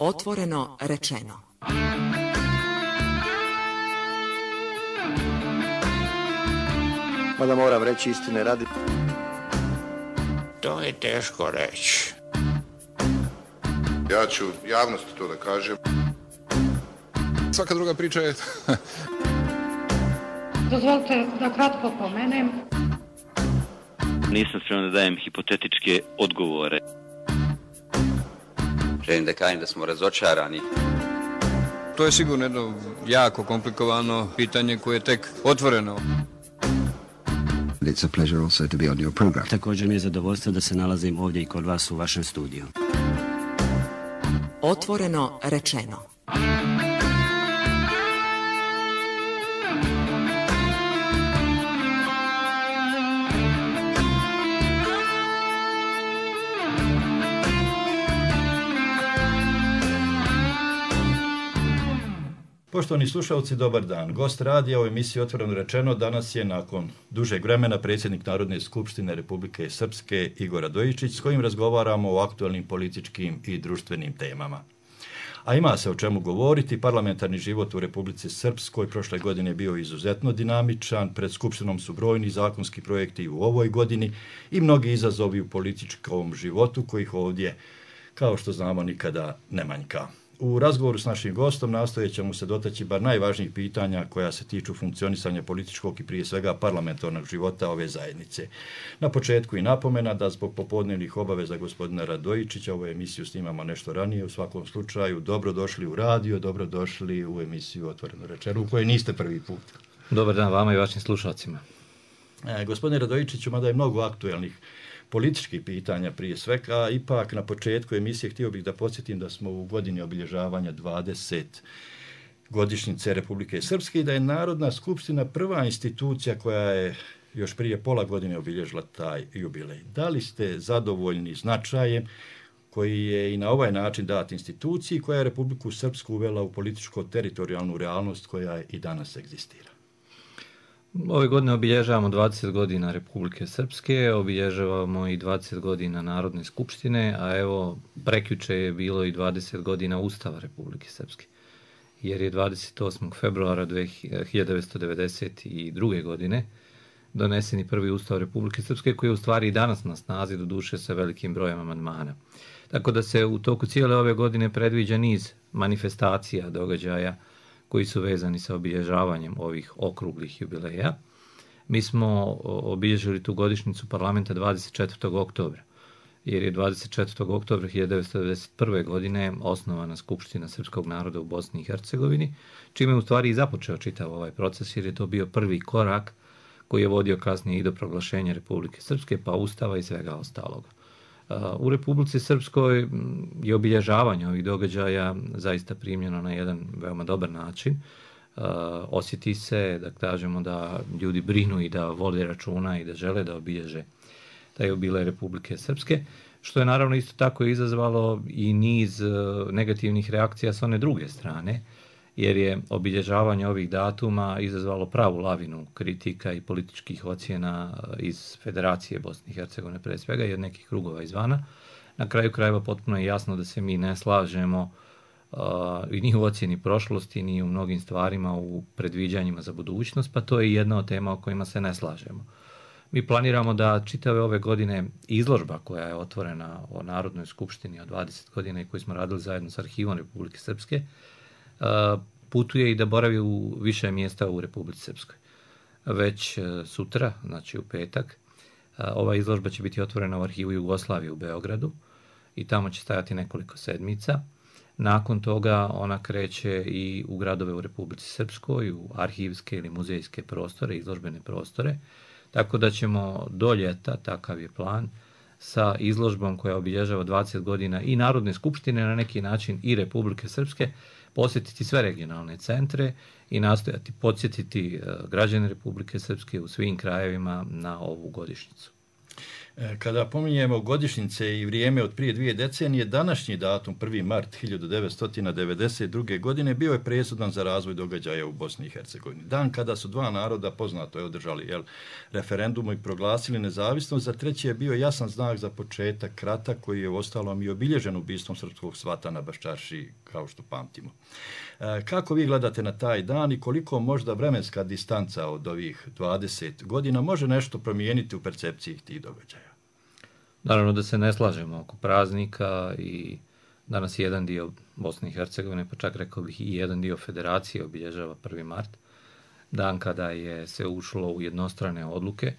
Otvoreno rečeno. Mada moram reći istine radi. To je teško reći. Ja ću javnosti to da kažem. Svaka druga priča je... Dozvolite da kratko pomenem. Nisam spreman da dajem hipotetičke odgovore. Želim da kažem da smo razočarani. To je sigurno jedno jako komplikovano pitanje koje je tek otvoreno. It's a pleasure also to be on your program. Također mi je zadovoljstvo da se nalazim ovdje i kod vas u vašem studiju. Otvoreno rečeno. Poštovani slušalci, dobar dan. Gost radija u emisiji Otvoreno rečeno danas je nakon dužeg vremena predsjednik Narodne skupštine Republike Srpske Igor Radojičić, s kojim razgovaramo o aktualnim političkim i društvenim temama. A ima se o čemu govoriti. Parlamentarni život u Republici Srpskoj prošle godine je bio izuzetno dinamičan, pred skupštinom su brojni zakonski projekti u ovoj godini i mnogi izazovi u političkom životu kojih ovdje, kao što znamo, nikada ne manjka. U razgovoru s našim gostom nastojat ćemo se dotaći bar najvažnijih pitanja koja se tiču funkcionisanja političkog i prije svega parlamentarnog života ove zajednice. Na početku i napomena da zbog popodnevnih obaveza gospodina Radojičića ovu emisiju snimamo nešto ranije. U svakom slučaju dobrodošli u radio, dobrodošli u emisiju Otvoreno rečeno u kojoj niste prvi put. Dobar dan vama i vašim slušalcima. Gospodine Radojičiću, mada je mnogo aktuelnih političkih pitanja prije svega, ipak na početku emisije htio bih da podsjetim da smo u godini obilježavanja 20 godišnjice Republike Srpske i da je Narodna skupština prva institucija koja je još prije pola godine obilježila taj jubilej. Da li ste zadovoljni značajem koji je i na ovaj način dat instituciji koja je Republiku Srpsku uvela u političko-teritorijalnu realnost koja i danas egzistira? Ove godine obilježavamo 20 godina Republike Srpske, obilježavamo i 20 godina Narodne skupštine, a evo prekjuče je bilo i 20 godina Ustava Republike Srpske, jer je 28. februara 1992. godine donesen i prvi Ustav Republike Srpske koji je u stvari i danas na snazi, doduše sa velikim brojem amandmana. Tako da se u toku cijele ove godine predviđa niz manifestacija, događaja koji su vezani sa obilježavanjem ovih okruglih jubileja. Mi smo obilježili tu godišnjicu parlamenta 24. oktobra, jer je 24. oktobra 1991. godine osnovana Skupština srpskog naroda u Bosni i Hercegovini, čime je u stvari i započeo čitav ovaj proces, jer je to bio prvi korak koji je vodio kasnije i do proglašenja Republike Srpske, pa Ustava i svega ostaloga. U Republici Srpskoj je obilježavanje ovih događaja zaista primljeno na jedan veoma dobar način. Osjeti se, da kažemo, da ljudi brinu i da vode računa i da žele da obilježe taj jubilej Republike Srpske, što je naravno isto tako izazvalo i niz negativnih reakcija s one druge strane, jer je obilježavanje ovih datuma izazvalo pravu lavinu kritika i političkih ocjena iz Federacije Bosne i Hercegovine pre svega i od nekih krugova izvana. Na kraju krajeva potpuno je jasno da se mi ne slažemo ni u ocjeni prošlosti, ni u mnogim stvarima u predviđanjima za budućnost, pa to je jedna od tema o kojima se ne slažemo. Mi planiramo da čitave ove godine izložba koja je otvorena o Narodnoj skupštini od 20 godina i koju smo radili zajedno s Arhivom Republike Srpske, putuje i da boravi u više mjesta u Republici Srpskoj. Već sutra, znači u petak, ova izložba će biti otvorena u Arhivu Jugoslavije u Beogradu i tamo će stajati nekoliko sedmica. Nakon toga ona kreće i u gradove u Republici Srpskoj, u arhivske ili muzejske prostore, izložbene prostore, tako da ćemo do ljeta, takav je plan, sa izložbom koja obilježava 20 godina i Narodne skupštine, na neki način i Republike Srpske, posjetiti sve regionalne centre i nastojati podsjetiti građane Republike Srpske u svim krajevima na ovu godišnjicu. Kada pominjemo godišnjice i vrijeme od prije 2 decenije, današnji datum, 1. mart 1992. godine, bio je presudan za razvoj događaja u Bosni i Hercegovini. Dan kada su dva naroda, poznato je, održali referendum i proglasili nezavisnost, za treći je bio jasan znak za početak rata koji je uostalom i obilježen ubistvom srpskog svata na Baščarši, kao što pamtimo. Kako vi gledate na taj dan i koliko možda vremenska distanca od ovih 20 godina može nešto promijeniti u percepciji tih događaja? Naravno da se ne slažemo oko praznika i danas jedan dio Bosne i Hercegovine, pa čak rekao bih i jedan dio federacije obilježava 1. mart, dan kada je se ušlo u jednostrane odluke,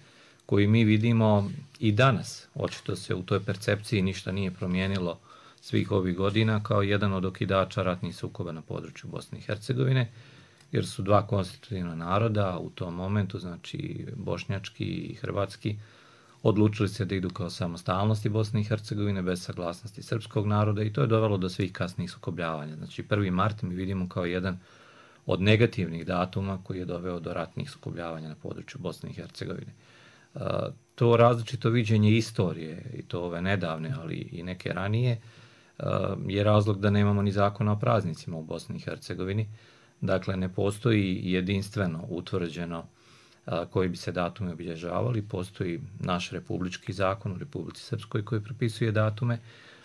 koji mi vidimo i danas. Očito se u toj percepciji ništa nije promijenilo svih ovih godina kao jedan od okidača ratnih sukoba na području Bosne i Hercegovine, jer su dva konstitutivna naroda u tom momentu, znači bošnjački i hrvatski, odlučili se da idu kao samostalnosti Bosne i Hercegovine bez saglasnosti srpskog naroda i to je dovelo do svih kasnijih sukobljavanja. Znači 1. mart mi vidimo kao jedan od negativnih datuma koji je doveo do ratnih sukobljavanja na području Bosne i Hercegovine. To različito viđenje istorije, i to ove nedavne, ali i neke ranije, je razlog da nemamo ni zakona o praznicima u Bosni i Hercegovini. Dakle, ne postoji jedinstveno utvrđeno koji bi se datumi obilježavali. Postoji naš republički zakon u Republici Srpskoj koji propisuje datume,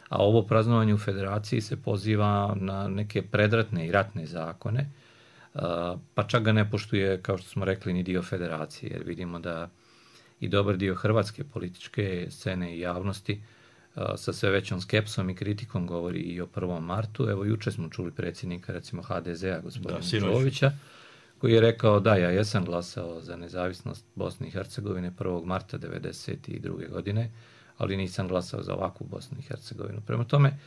a ovo praznovanje u federaciji se poziva na neke predratne i ratne zakone, pa čak ga ne poštuje, kao što smo rekli, ni dio federacije, jer vidimo da i dobar dio hrvatske političke scene i javnosti sa sve većom skepsom i kritikom govori i o 1. martu. Evo, juče smo čuli predsjednika, recimo, HDZ-a, gospodina Čovića, koji je rekao da ja jesam glasao za nezavisnost Bosne i Hercegovine 1. marta 1992. godine, ali nisam glasao za ovakvu Bosnu i Hercegovinu. Prema tome,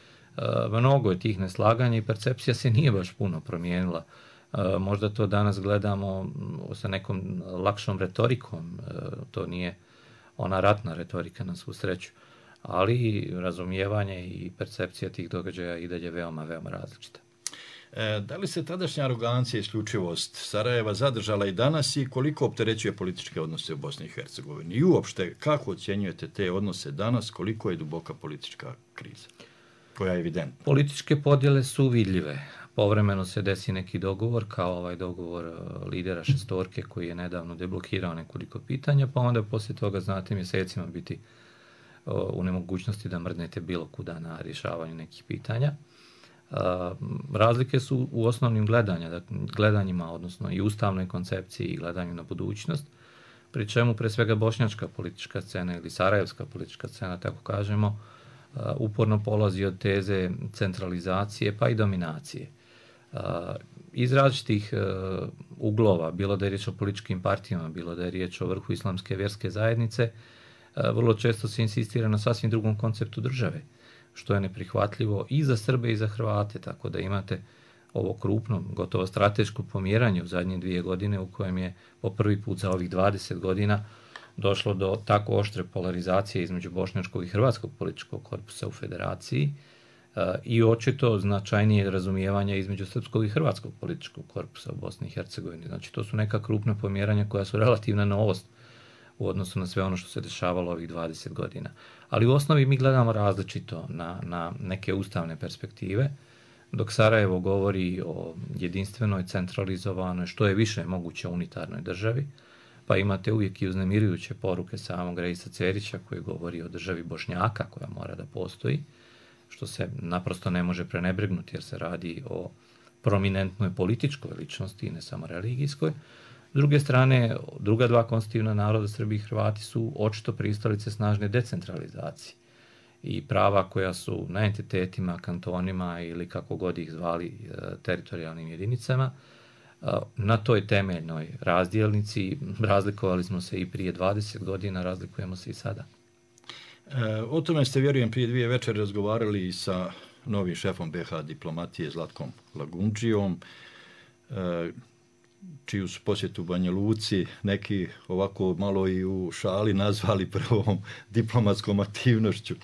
mnogo je tih neslaganja i percepcija se nije baš puno promijenila. Možda to danas gledamo sa nekom lakšom retorikom, to nije ona ratna retorika na svu sreću, ali razumijevanje i percepcija tih događaja i dalje veoma, veoma različita. Da li se tadašnja arogancija i isključivost Sarajeva zadržala i danas i koliko opterećuje političke odnose u Bosni i Hercegovini? I uopšte, kako ocjenjujete te odnose danas, koliko je duboka politička kriza, koja je evidentna? Političke podjele su vidljive. Povremeno se desi neki dogovor, kao ovaj dogovor lidera šestorke koji je nedavno deblokirao nekoliko pitanja, pa onda poslije toga, znate, mjesecima biti u nemogućnosti da mrdnete bilo kuda na rješavanju nekih pitanja. Razlike su u osnovnim gledanjima, odnosno i ustavnoj koncepciji i gledanju na budućnost, pri čemu pre svega bošnjačka politička scena ili sarajevska politička scena, tako kažemo, uporno polazi od teze centralizacije pa i dominacije. Iz različitih uglova, bilo da je riječ o političkim partijama, bilo da je riječ o vrhu islamske vjerske zajednice, vrlo često se insistira na sasvim drugom konceptu države, što je neprihvatljivo i za Srbe i za Hrvate, tako da imate ovo krupno, gotovo strateško pomjeranje u zadnje 2 godine u kojem je po prvi put za ovih 20 godina došlo do tako oštre polarizacije između bošnjačkog i hrvatskog političkog korpusa u federaciji i očito značajnije razumijevanje između srpskog i hrvatskog političkog korpusa u Bosni i Hercegovini. Znači, to su neka krupna pomjeranja koja su relativna novost u odnosu na sve ono što se dešavalo ovih 20 godina. Ali u osnovi mi gledamo različito na neke ustavne perspektive, dok Sarajevo govori o jedinstvenoj, centralizovanoj, što je više moguće unitarnoj državi, pa imate uvijek i uznemirujuće poruke samog Reisa Cerića koji govori o državi Bošnjaka koja mora da postoji, što se naprosto ne može prenebregnuti jer se radi o prominentnoj političkoj ličnosti i ne samo religijskoj. S druge strane, druga dva konstitutivna naroda, Srbi i Hrvati, su očito pristalice snažne decentralizacije i prava koja su na entitetima, kantonima ili kako god ih zvali teritorijalnim jedinicama. Na toj temeljnoj razdjelnici razlikovali smo se i prije 20 godina, razlikujemo se i sada. O tome ste, vjerujem, prije 2 večeri razgovarali i sa novim šefom BiH diplomatije Zlatkom Lagunđijom, čiju su posjetu Banja Luci neki ovako malo i u šali nazvali prvom diplomatskom aktivnošću,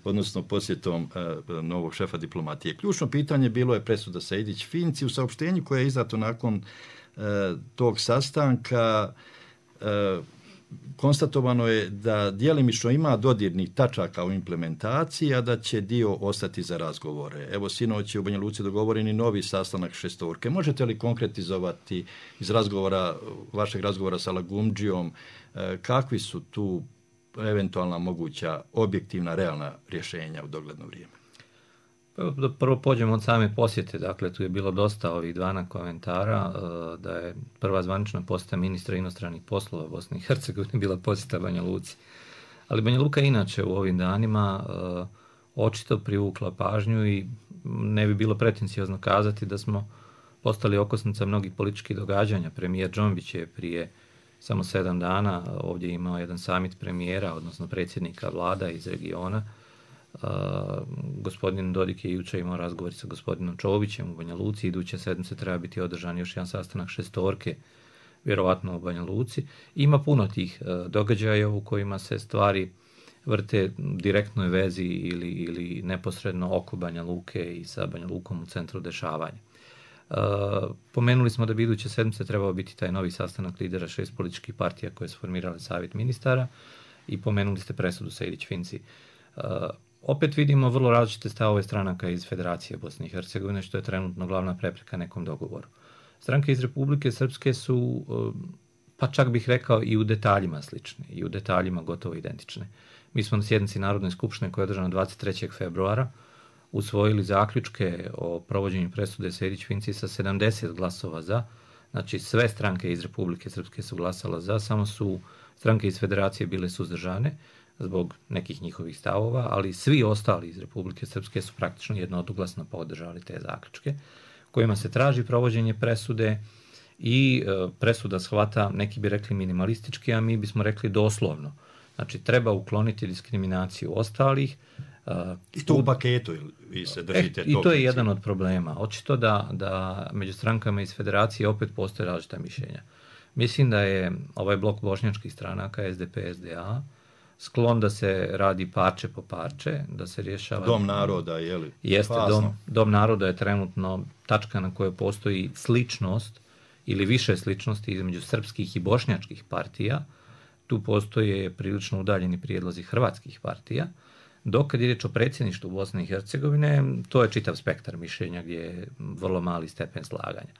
odnosno posjetom novog šefa diplomatije. Ključno pitanje bilo je presuda Sejdić-Finci. U saopštenju koje je izdato nakon tog sastanka konstatovano je da djelimično ima dodirnih tačaka u implementaciji, a da će dio ostati za razgovore. Evo, sinoć je u Banja Luci dogovoreni novi sastanak šestorke. Možete li konkretizovati iz vašeg razgovora sa Lagumdžijom, kakvi su tu eventualna moguća objektivna, realna rješenja u dogledno vrijeme? Da prvo pođemo od same posjete, dakle tu je bilo dosta ovih dana komentara da je prva zvanična posjeta ministra inostranih poslova Bosne i Hercegovine bila posjeta Banja Luci. Ali Banja Luka inače u ovim danima očito privukla pažnju i ne bi bilo pretenciozno kazati da smo postali okosnica mnogih političkih događanja. Premijer Džombić je prije samo 7 dana ovdje imao jedan samit premijera, odnosno predsjednika vlada iz regiona. Gospodin Dodik je jučer imao razgovor sa gospodinom Čovićem u Banja Luci. Iduće sedmice treba biti održan još jedan sastanak šestorke, vjerovatno u Banja Luci. Ima puno tih događaja u kojima se stvari vrte direktnoj vezi ili neposredno oko Banja Luke i sa Banja Lukom u centru dešavanja. Pomenuli smo da bi iduće sedmice trebao biti taj novi sastanak lidera 6 političkih partija koje su formirale savjet ministara i pomenuli ste presudu Sejdić-Finci. Opet vidimo vrlo različite stavove stranaka iz Federacije Bosne i Hercegovine, što je trenutno glavna prepreka nekom dogovoru. Stranke iz Republike Srpske su, pa čak bih rekao, i u detaljima slične, i u detaljima gotovo identične. Mi smo na sjednici Narodne skupštine koja je održana 23. februara usvojili zaključke o provođenju presude Sejdić-Finci sa 70 glasova za. Znači sve stranke iz Republike Srpske su glasale za, samo su stranke iz Federacije bile suzdržane zbog nekih njihovih stavova, ali svi ostali iz Republike Srpske su praktično jednoglasno podržali te zaključke, kojima se traži provođenje presude i presuda shvata, neki bi rekli minimalistički, a mi bismo rekli doslovno. Znači, treba ukloniti diskriminaciju ostalih. I to u paketu vi se držite I to je jedan od problema. Očito da među strankama iz Federacije opet postoje različita mišljenja. Mislim da je ovaj blok bošnjačkih stranaka, SDP, SDA, sklon da se radi parče po parče, da se rješava... Dom naroda, je li? Jeste, Dom naroda je trenutno tačka na kojoj postoji sličnost ili više sličnosti između srpskih i bošnjačkih partija. Tu postoje prilično udaljeni prijedlozi hrvatskih partija. Dok kad je riječ o predsjedništvu Bosne i Hercegovine, to je čitav spektar mišljenja gdje je vrlo mali stepen slaganja.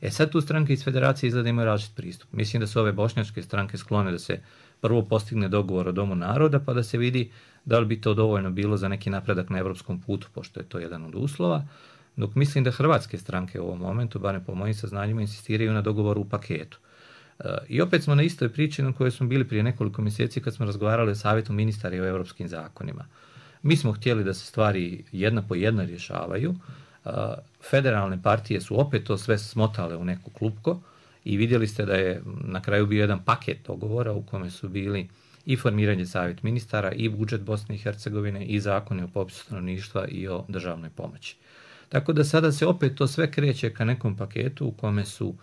Sad tu stranke iz Federacije izgleda imaju različit pristup. Mislim da su ove bošnjačke stranke sklone da se prvo postigne dogovor o Domu naroda, pa da se vidi da li bi to dovoljno bilo za neki napredak na evropskom putu, pošto je to jedan od uslova. Dok mislim da hrvatske stranke u ovom momentu, barem po mojim saznanjima, insistiraju na dogovoru u paketu. I opet smo na istoj priči na kojoj smo bili prije nekoliko mjeseci kad smo razgovarali o savjetu ministara i o europskim zakonima. Mi smo htjeli da se stvari jedna po jedna rješavaju. Federalne partije su opet to sve smotale u neko klupko i vidjeli ste da je na kraju bio jedan paket dogovora u kome su bili i formiranje savjet ministara i budžet Bosne i Hercegovine i zakoni o popisu stanovništva i o državnoj pomoći. Tako da sada se opet to sve kreće ka nekom paketu u kome su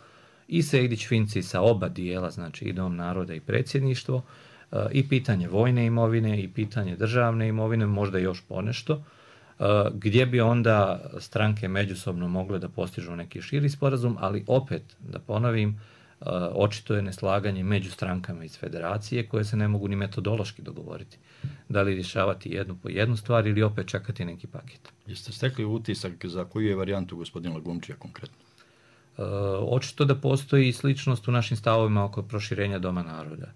i Sejdić-Finci sa oba dijela, znači i Dom naroda i predsjedništvo, i pitanje vojne imovine i pitanje državne imovine, možda još ponešto, gdje bi onda stranke međusobno mogle da postižu neki širi sporazum, ali opet, da ponovim, očito je neslaganje među strankama iz Federacije koje se ne mogu ni metodološki dogovoriti. Da li rješavati jednu po jednu stvar ili opet čekati neki paket. Jeste stekli utisak za koju je varijantu gospodina Lagumdžija konkretno? Očito da postoji sličnost u našim stavovima oko proširenja Doma naroda.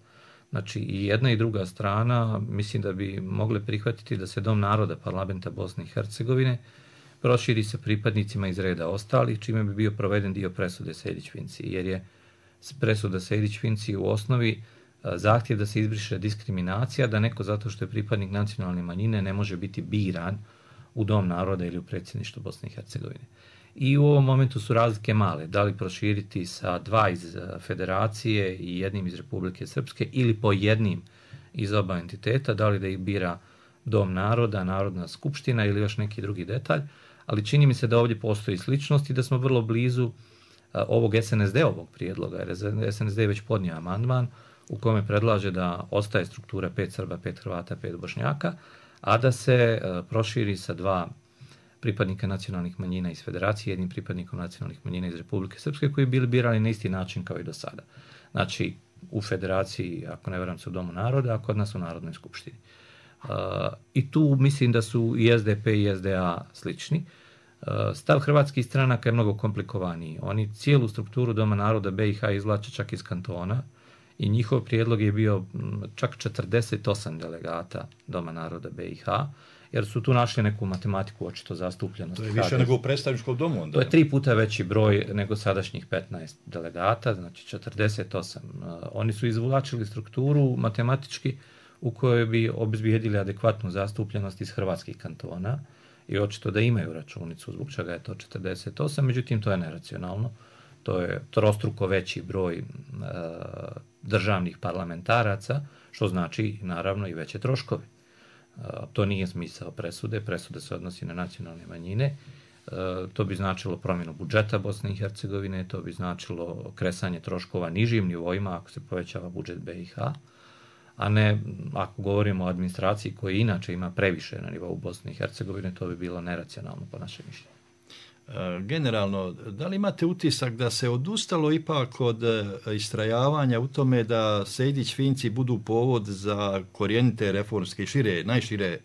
Znači i jedna i druga strana mislim da bi mogle prihvatiti da se Dom naroda parlamenta Bosne i Hercegovine proširi sa pripadnicima iz reda ostalih, čime bi bio proveden dio presude Sejdić-Finci, jer je presuda Sejdić-Finci u osnovi zahtjev da se izbriše diskriminacija, da neko zato što je pripadnik nacionalne manjine ne može biti biran u Dom naroda ili u predsjedništvo Bosne i Hercegovine. I u ovom momentu su razlike male, da li proširiti sa 2 iz Federacije i jednim iz Republike Srpske ili po jednim iz oba entiteta, da li da ih bira Dom naroda, Narodna skupština ili još neki drugi detalj, ali čini mi se da ovdje postoji sličnost i da smo vrlo blizu ovog SNSD-ovog prijedloga, jer SNSD je već podnio amandman u kome predlaže da ostaje struktura 5 Srba, 5 Hrvata, 5 Bošnjaka, a da se proširi sa 2 pripadnika nacionalnih manjina iz Federacije, jednim pripadnikom nacionalnih manjina iz Republike Srpske, koji bili birani na isti način kao i do sada. Znači, u federaciji, ako ne varam se u Domu naroda, a kod nas u Narodnoj skupštini. I tu mislim da su i SDP i SDA slični. Stav hrvatskih stranaka je mnogo komplikovaniji. Oni cijelu strukturu Doma naroda BiH izvlače čak iz kantona i njihov prijedlog je bio čak 48 delegata Doma naroda BiH, jer su tu našli neku matematiku očito zastupljenost. To je više nego u predstavničkom domu onda. To je 3 puta veći broj nego sadašnjih 15 delegata, znači 48. Oni su izvlačili strukturu matematički u kojoj bi obezbijedili adekvatnu zastupljenost iz hrvatskih kantona i očito da imaju računicu zbog čega je to 48, međutim to je neracionalno. To je trostruko veći broj državnih parlamentaraca, što znači naravno i veće troškove. To nije smisao presude. Presude se odnosi na nacionalne manjine. To bi značilo promjenu budžeta Bosne i Hercegovine, to bi značilo kresanje troškova nižim nivoima ako se povećava budžet BiH, a ne ako govorimo o administraciji koja inače ima previše na nivou Bosne i Hercegovine, to bi bilo neracionalno po našem mišljenju. Generalno, da li imate utisak da se odustalo ipak od istrajavanja u tome da Sejdić-Finci budu povod za korijenite reformske i najšire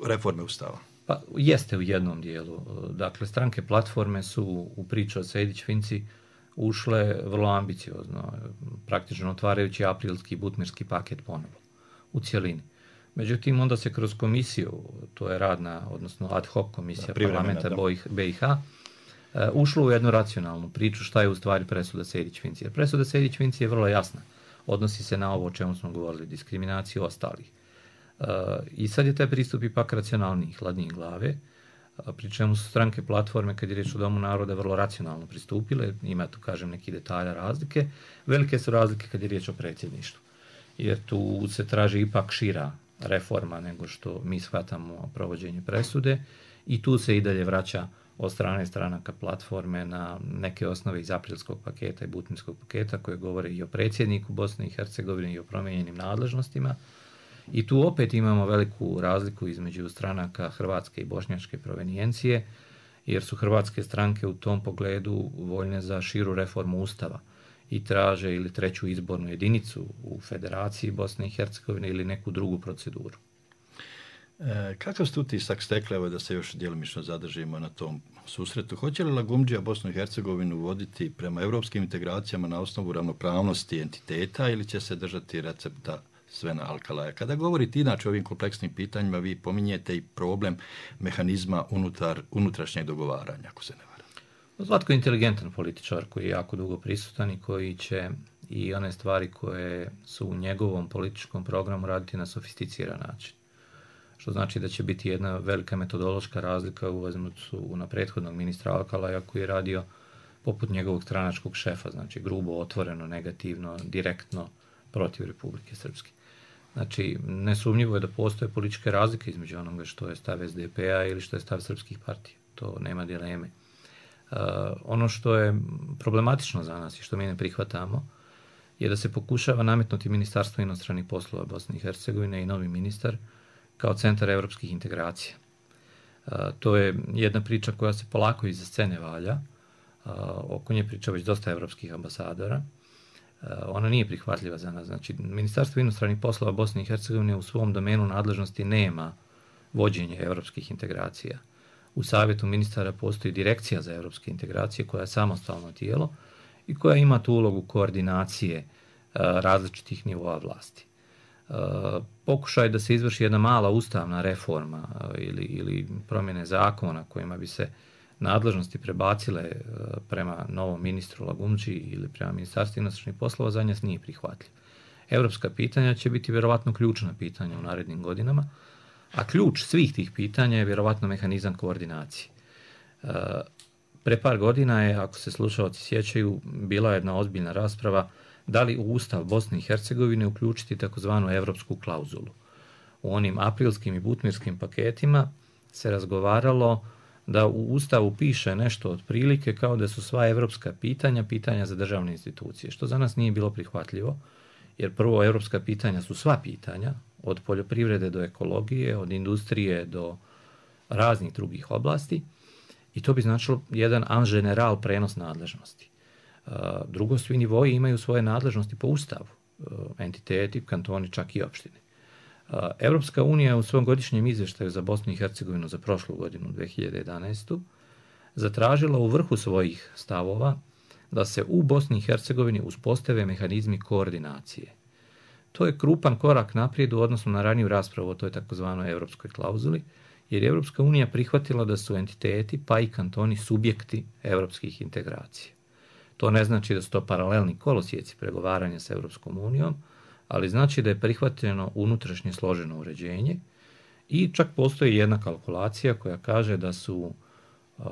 reforme Ustava? Pa jeste u jednom dijelu. Dakle, stranke platforme su u priču o Sejdić-Finci ušle vrlo ambiciozno, praktično otvarajući aprilski butmirski paket ponovo, u cjelini. Međutim, onda se kroz komisiju, to je radna, odnosno ad hoc komisija parlamenta BiH, ušlo u jednu racionalnu priču šta je u stvari presuda Sejdić-Finci. Jer presuda Sejdić-Finci je vrlo jasna. Odnosi se na ovo o čemu smo govorili, diskriminaciju ostalih. I sad je taj pristup ipak racionalniji, hladniji glave, pri čemu su stranke platforme, kad je riječ o Domu naroda, vrlo racionalno pristupile. Ima tu, kažem, neki detalja razlike. Velike su razlike kad je riječ o predsjedništvu. Jer tu se traži ipak šira reforma nego što mi shvatamo provođenje presude i tu se i dalje vraća od strane stranaka platforme na neke osnove iz aprilskog paketa i butmirskog paketa koje govore i o predsjedniku Bosne i Hercegovine i o promijenjenim nadležnostima. I tu opet imamo veliku razliku između stranaka hrvatske i bošnjačke provenijencije, jer su hrvatske stranke u tom pogledu voljne za širu reformu Ustava i traže ili treću izbornu jedinicu u Federaciji Bosne i Hercegovine ili neku drugu proceduru. Kakav ste utisak stekli, evo da se još djelomično zadržimo na tom susretu? Hoće li Lagumdžija Bosnu i Hercegovinu voditi prema europskim integracijama na osnovu ravnopravnosti entiteta ili će se držati recepta Svena Alkalaja? Kada govorite inače o ovim kompleksnim pitanjima, vi pominjete i problem mehanizma unutrašnjeg dogovaranja, ako se ne varam. Zlatko je inteligentan političar koji je jako dugo prisutan i koji će i one stvari koje su u njegovom političkom programu raditi na sofisticiran način. Što znači da će biti jedna velika metodološka razlika u odnosu na prethodnog ministra Alkalaja koji je radio poput njegovog stranačkog šefa, znači grubo, otvoreno, negativno, direktno protiv Republike Srpske. Znači, nesumnjivo je da postoje političke razlike između onoga što je stav SDP-a ili što je stav srpskih partija. To nema dileme. Ono što je problematično za nas i što mi ne prihvatamo je da se pokušava nametnuti Ministarstvo inostranih poslova Bosne i Hercegovine i novi ministar kao centar evropskih integracija. To je jedna priča koja se polako iza scene valja. Oko nje priča već dosta evropskih ambasadora. Ona nije prihvatljiva za nas. Znači, Ministarstvo inostranih poslova Bosne i Hercegovine u svom domenu nadležnosti nema vođenje evropskih integracija. U savjetu ministara postoji direkcija za evropske integracije koja je samostalno tijelo i koja ima tu ulogu koordinacije različitih nivoa vlasti. Pokušaj da se izvrši jedna mala ustavna reforma ili promjene zakona kojima bi se nadležnosti prebacile prema novom ministru Lagumdži ili prema Ministarstvu inostranih poslova za nas nije prihvatljiv. Evropska pitanja će biti vjerovatno ključna pitanja u narednim godinama, a ključ svih tih pitanja je vjerovatno mehanizam koordinacije. Pre par godina je, ako se slušalci sjećaju, bila jedna ozbiljna rasprava da li u Ustav Bosne i Hercegovine uključiti takozvanu evropsku klauzulu. U onim aprilskim i butmirskim paketima se razgovaralo da u Ustavu piše nešto otprilike kao da su sva evropska pitanja za državne institucije, što za nas nije bilo prihvatljivo, jer prvo evropska pitanja su sva pitanja, od poljoprivrede do ekologije, od industrije do raznih drugih oblasti, i to bi značilo jedan en general prenos nadležnosti. Drugo, svi nivoji imaju svoje nadležnosti po ustavu, entiteti, kantoni, čak i opštine. Evropska unija u svom godišnjem izvještaju za Bosnu i Hercegovinu za prošlu godinu, 2011. zatražila u vrhu svojih stavova da se u Bosni i Hercegovini uspostave mehanizmi koordinacije. To je krupan korak naprijed u odnosu na raniju raspravu o toj takozvanoj evropskoj klauzuli, jer je Evropska unija prihvatila da su entiteti, pa i kantoni, subjekti evropskih integracija. To ne znači da su to paralelni kolosijeci pregovaranja sa Evropskom unijom, ali znači da je prihvaćeno unutrašnje složeno uređenje i čak postoji jedna kalkulacija koja kaže da su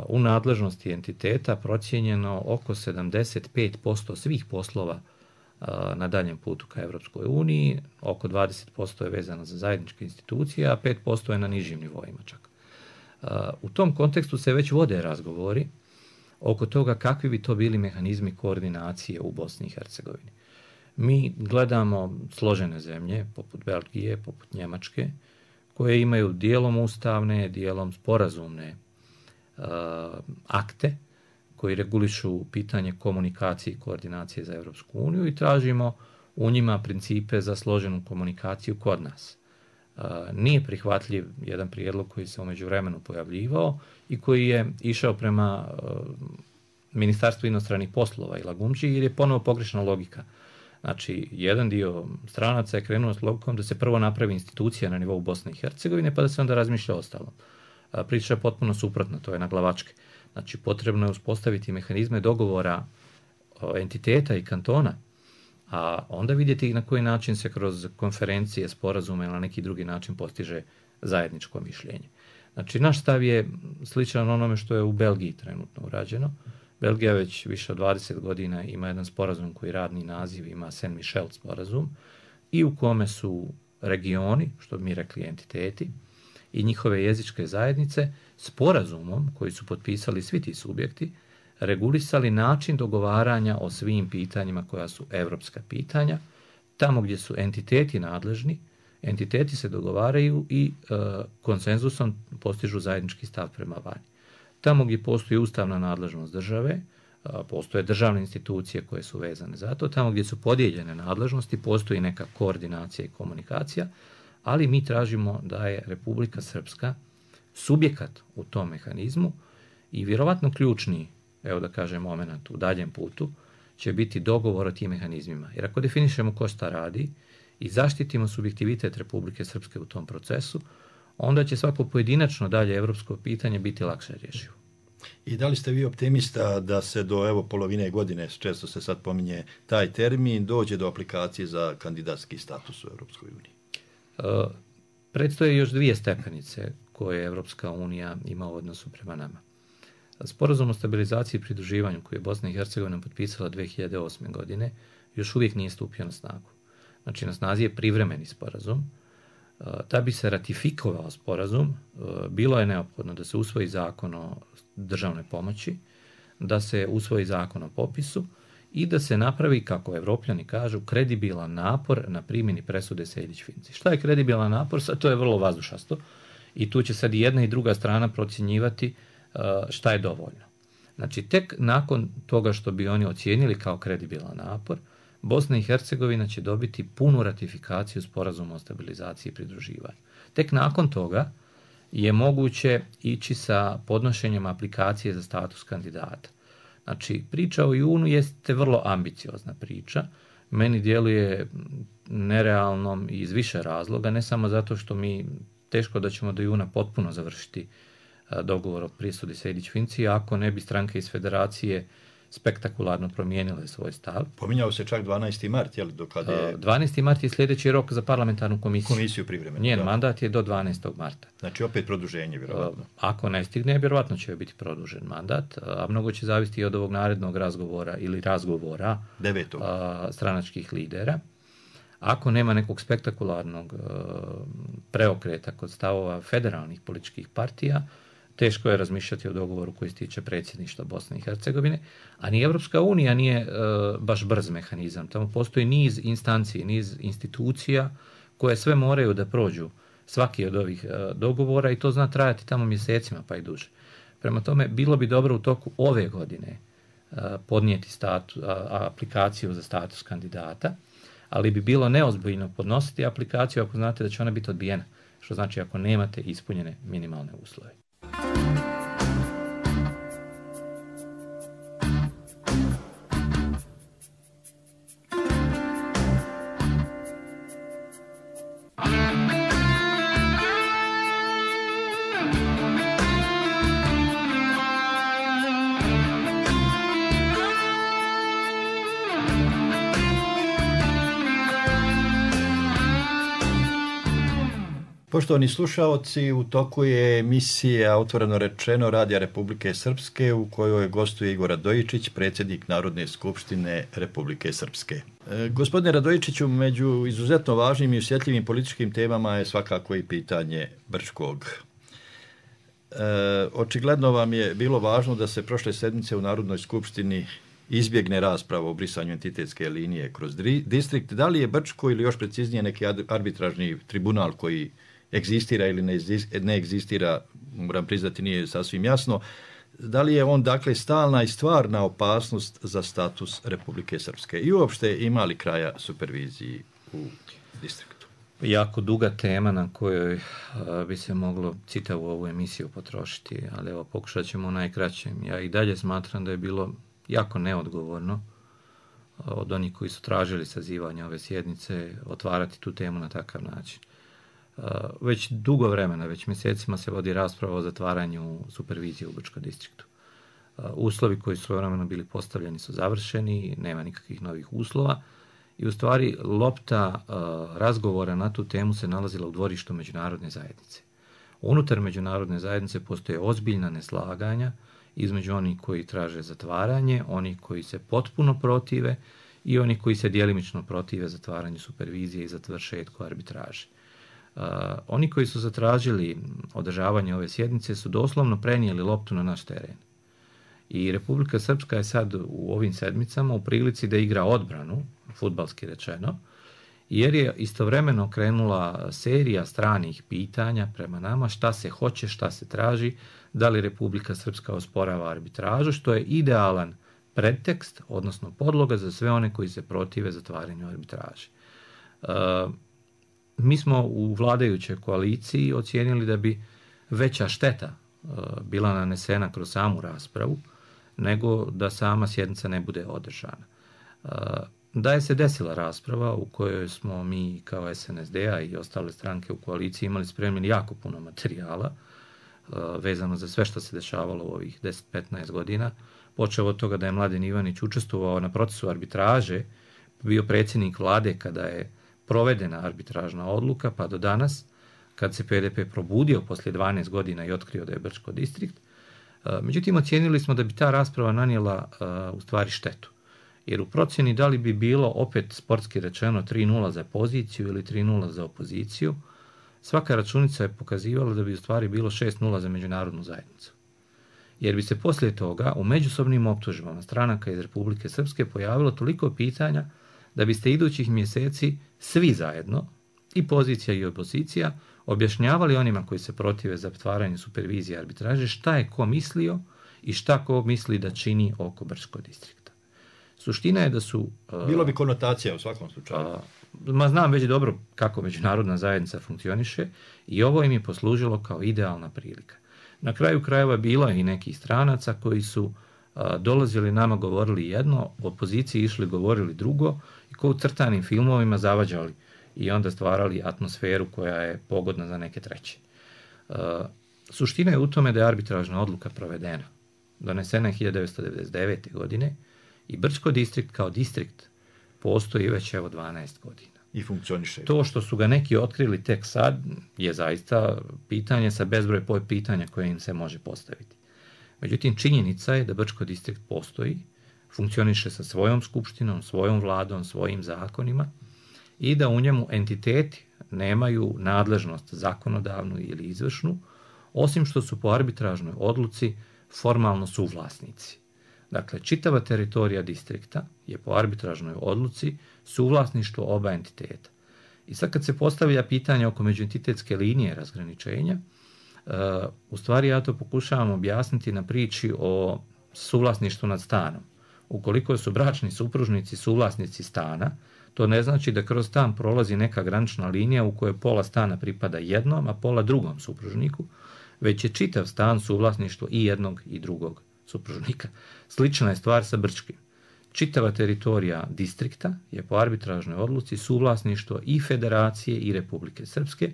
u nadležnosti entiteta procijenjeno oko 75% svih poslova na daljem putu ka Evropskoj uniji, oko 20% je vezano za zajedničke institucije, a 5% je na nižim nivoima čak. U tom kontekstu se već vode razgovori oko toga kakvi bi to bili mehanizmi koordinacije u Bosni i Hercegovini. Mi gledamo složene zemlje, poput Belgije, poput Njemačke, koje imaju dijelom ustavne, dijelom sporazumne akte koji regulišu pitanje komunikacije i koordinacije za Evropsku uniju i tražimo u njima principe za složenu komunikaciju kod nas. Nije prihvatljiv jedan prijedlog koji se u međuvremenu pojavljivao i koji je išao prema Ministarstvu inostranih poslova i Lagumdži, jer je ponovo pogrešna logika. Znači, jedan dio stranaca je krenuo s logikom da se prvo napravi institucija na nivou Bosne i Hercegovine, pa da se onda razmišlja o ostalom. Priča je potpuno suprotna, to je na glavačke. Znači, potrebno je uspostaviti mehanizme dogovora entiteta i kantona, a onda vidjeti na koji način se kroz konferencije, sporazume ili na neki drugi način postiže zajedničko mišljenje. Znači, naš stav je sličan onome što je u Belgiji trenutno urađeno. Belgija već više od 20 godina ima jedan sporazum koji radni naziv ima Saint Michel sporazum i u kome su regioni, što bi mi rekli entiteti, i njihove jezičke zajednice sporazumom koji su potpisali svi ti subjekti regulisali način dogovaranja o svim pitanjima koja su evropska pitanja. Tamo gdje su entiteti nadležni, entiteti se dogovaraju i konsenzusom postižu zajednički stav prema vani. Tamo gdje postoji ustavna nadležnost države, postoje državne institucije koje su vezane za to. Tamo gdje su podijeljene nadležnosti, postoji neka koordinacija i komunikacija, ali mi tražimo da je Republika Srpska subjekat u tom mehanizmu i vjerovatno ključni, evo da kažem, moment u daljem putu će biti dogovor o tim mehanizmima. Jer ako definišemo ko šta radi i zaštitimo subjektivitet Republike Srpske u tom procesu, onda će svako pojedinačno dalje evropsko pitanje biti lakše rješivo. I da li ste vi optimista da se do polovine godine, često se sad pominje taj termin, dođe do aplikacije za kandidatski status u Europskoj uniji? Predstoje još dvije stepenice koje Evropska unija ima u odnosu prema nama. Sporazum o stabilizaciji i pridruživanju koji je Bosna i Hercegovina potpisala 2008. godine još uvijek nije stupio na snagu. Znači, na snazi je privremeni sporazum. Da bi se ratifikovao sporazum, bilo je neophodno da se usvoji zakon o državnoj pomoći, da se usvoji zakon o popisu i da se napravi, kako Evropljani kažu, kredibilan napor na primjeni presude Sejdić-Finci. Šta je kredibilan napor? Sad to je vrlo vazdušasto i tu će sad i jedna i druga strana procjenjivati šta je dovoljno. Znači, tek nakon toga što bi oni ocijenili kao kredibilan napor, Bosna i Hercegovina će dobiti punu ratifikaciju sporazuma o stabilizaciji i pridruživanju. Tek nakon toga je moguće ići sa podnošenjem aplikacije za status kandidata. Znači, priča o junu jeste vrlo ambiciozna priča. Meni djeluje nerealnom iz više razloga, ne samo zato što mi teško da ćemo do juna potpuno završiti dogovor o prisudi Sejdić-Finci, ako ne bi stranke iz federacije spektakularno promijenile svoj stav. Pominjao se čak 12. mart, jel? 12. mart je sljedeći rok za parlamentarnu komisiju. Komisiju privremenu. Njen mandat je do 12. marta. Znači opet produženje, vjerovatno. Ako ne stigne, vjerovatno će biti produžen mandat, a mnogo će zavisiti od ovog narednog razgovora ili razgovora 9. Stranačkih lidera. Ako nema nekog spektakularnog preokreta kod stavova federalnih političkih partija, teško je razmišljati o dogovoru koji se tiče predsjedništva Bosne i Hercegovine, a ni Evropska unija nije baš brz mehanizam. Tamo postoji niz instanci, niz institucija koje sve moraju da prođu svaki od ovih dogovora i to zna trajati tamo mjesecima pa i duže. Prema tome, bilo bi dobro u toku ove godine podnijeti aplikaciju za status kandidata, ali bi bilo neozbiljno podnositi aplikaciju ako znate da će ona biti odbijena, što znači ako nemate ispunjene minimalne uslove. Poštovani slušaoci, u toku je emisija Otvoreno rečeno Radija Republike Srpske u kojoj gostuje Igor Radojičić, predsjednik Narodne skupštine Republike Srpske. Gospodine Radojičiću, među izuzetno važnim i osjetljivim političkim temama je svakako i pitanje Brčkog. Očigledno vam je bilo važno da se prošle sedmice u Narodnoj skupštini izbjegne rasprava o brisanju entitetske linije kroz distrikt. Da li je Brčko ili još preciznije neki arbitražni tribunal koji egzistira ili ne egzistira, moram priznati nije sasvim jasno, da li je on dakle stalna i stvarna opasnost za status Republike Srpske i uopšte ima li kraja superviziji u distriktu? Jako duga tema na kojoj bi se moglo čitavu ovu emisiju potrošiti, ali evo pokušat ćemo u najkraćem. Ja i dalje smatram da je bilo jako neodgovorno od onih koji su tražili sazivanje ove sjednice otvarati tu temu na takav način. Već dugo vremena, već mjesecima se vodi rasprava o zatvaranju supervizije u Brčkom distriktu. Uslovi koji su vremeno bili postavljeni su završeni, nema nikakvih novih uslova i u stvari lopta razgovora na tu temu se nalazila u dvorištu međunarodne zajednice. Unutar međunarodne zajednice postoje ozbiljna neslaganja između onih koji traže zatvaranje, onih koji se potpuno protive i onih koji se djelimično protive zatvaranju supervizije i završetku arbitraže. Oni koji su zatražili održavanje ove sjednice su doslovno prenijeli loptu na naš teren. I Republika Srpska je sad u ovim sedmicama u prilici da igra odbranu, fudbalski rečeno, jer je istovremeno krenula serija stranih pitanja prema nama šta se hoće, šta se traži, da li Republika Srpska osporava arbitražu, što je idealan pretekst, odnosno podloga za sve one koji se protive zatvaranju arbitraže. Mi smo u vladajućoj koaliciji ocijenili da bi veća šteta bila nanesena kroz samu raspravu, nego da sama sjednica ne bude održana. Da je se desila rasprava u kojoj smo mi kao SNSD-a i ostale stranke u koaliciji imali spremljeni jako puno materijala vezano za sve što se dešavalo u ovih 10-15 godina, počeo od toga da je Mladen Ivanić učestvovao na procesu arbitraže, bio predsjednik vlade kada je provedena arbitražna odluka, pa do danas, kad se PDP probudio poslije 12 godina i otkrio da je Brčko distrikt. Međutim, ocijenili smo da bi ta rasprava nanijela u stvari štetu. Jer u procjeni da li bi bilo opet sportski rečeno 3-0 za poziciju ili 3-0 za opoziciju, svaka računica je pokazivala da bi u stvari bilo 6-0 za međunarodnu zajednicu. Jer bi se poslije toga u međusobnim optužbama stranaka iz Republike Srpske pojavilo toliko pitanja da biste idućih mjeseci svi zajedno, i pozicija i opozicija, objašnjavali onima koji se protive zatvaranju supervizije arbitraže šta je ko mislio i šta ko misli da čini oko Brčkog distrikta. Suština je da su... Bilo bi konotacija u svakom slučaju. Znam već dobro kako međunarodna zajednica funkcioniše i ovo im je poslužilo kao idealna prilika. Na kraju krajeva bilo je i nekih stranaca koji su dolazili nama, govorili jedno, opoziciji išli, govorili drugo i kao u crtanim filmovima zavađali i onda stvarali atmosferu koja je pogodna za neke treće. Suština je u tome da je arbitražna odluka provedena. Donesena je 1999. godine i Brčko distrikt kao distrikt postoji već evo 12 godina. I funkcioniše. To što su ga neki otkrili tek sad je zaista pitanje sa bezbroj pitanja koje im se može postaviti. Međutim, činjenica je da Brčko distrikt postoji, funkcioniše sa svojom skupštinom, svojom vladom, svojim zakonima i da u njemu entiteti nemaju nadležnost zakonodavnu ili izvršnu, osim što su po arbitražnoj odluci formalno suvlasnici. Dakle, čitava teritorija distrikta je po arbitražnoj odluci suvlasništvo oba entiteta. I sad kad se postavlja pitanje oko međuentitetske linije razgraničenja, u stvari ja to pokušavam objasniti na priči o suvlasništvu nad stanom. Ukoliko su bračni supružnici suvlasnici stana, to ne znači da kroz stan prolazi neka granična linija u kojoj pola stana pripada jednom, a pola drugom supružniku, već je čitav stan suvlasništvo i jednog i drugog supružnika. Slična je stvar sa Brčkim. Čitava teritorija distrikta je po arbitražnoj odluci suvlasništvo i Federacije i Republike Srpske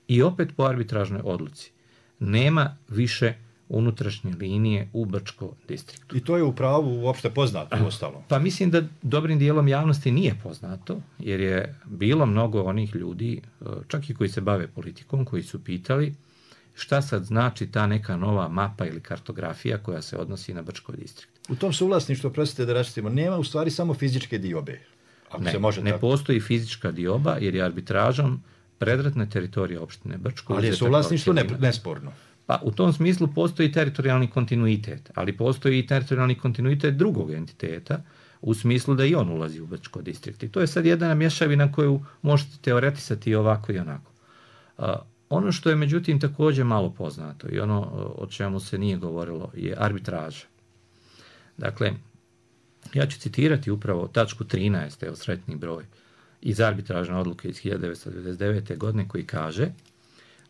i opet po arbitražnoj odluci. Nema više unutrašnje linije u Brčko distriktu. I to je u pravu uopšte poznato u ostalom. Pa mislim da dobrim dijelom javnosti nije poznato, jer je bilo mnogo onih ljudi, čak i koji se bave politikom, koji su pitali šta sad znači ta neka nova mapa ili kartografija koja se odnosi na Brčko distrikt. U tom suvlasništvu, prostite da raščitimo, nema u stvari samo fizičke diobe. Ako se može ne tako. Postoji fizička dioba, jer je arbitražom predratna teritorija opštine Brčko. Ali je suvlasništvo nesporno. Pa u tom smislu postoji teritorijalni kontinuitet, ali postoji i teritorijalni kontinuitet drugog entiteta, u smislu da i on ulazi u Brčko distrikt. I to je sad jedna mješavina koju možete teoretisati i ovako i onako. Ono što je međutim također malo poznato i ono o čemu se nije govorilo je arbitraža. Dakle, ja ću citirati upravo tačku 13, evo sretni broj, iz arbitražne odluke iz 1999. godine koji kaže: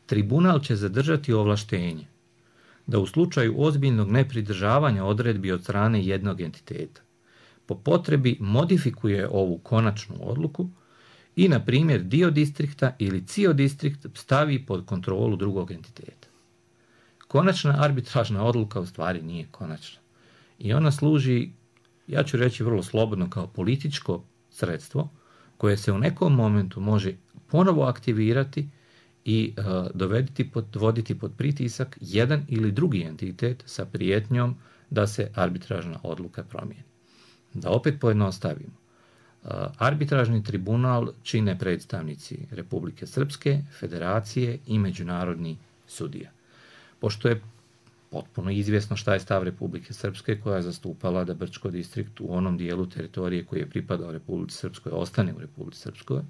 tribunal će zadržati ovlaštenje da u slučaju ozbiljnog nepridržavanja odredbi od strane jednog entiteta po potrebi modifikuje ovu konačnu odluku i, na primjer, dio distrikta ili cijeli distrikt stavi pod kontrolu drugog entiteta. Konačna arbitražna odluka u stvari nije konačna. I ona služi, ja ću reći vrlo slobodno, kao političko sredstvo koje se u nekom momentu može ponovo aktivirati i dovoditi pod pritisak jedan ili drugi entitet sa prijetnjom da se arbitražna odluka promijeni. Da opet pojednostavimo. Arbitražni tribunal čine predstavnici Republike Srpske, Federacije i međunarodni sudija. Pošto je potpuno izvjesno šta je stav Republike Srpske, koja je zastupala da Brčko distrikt u onom dijelu teritorije koji je pripadao Republici Srpskoj ostane u Republici Srpskoj,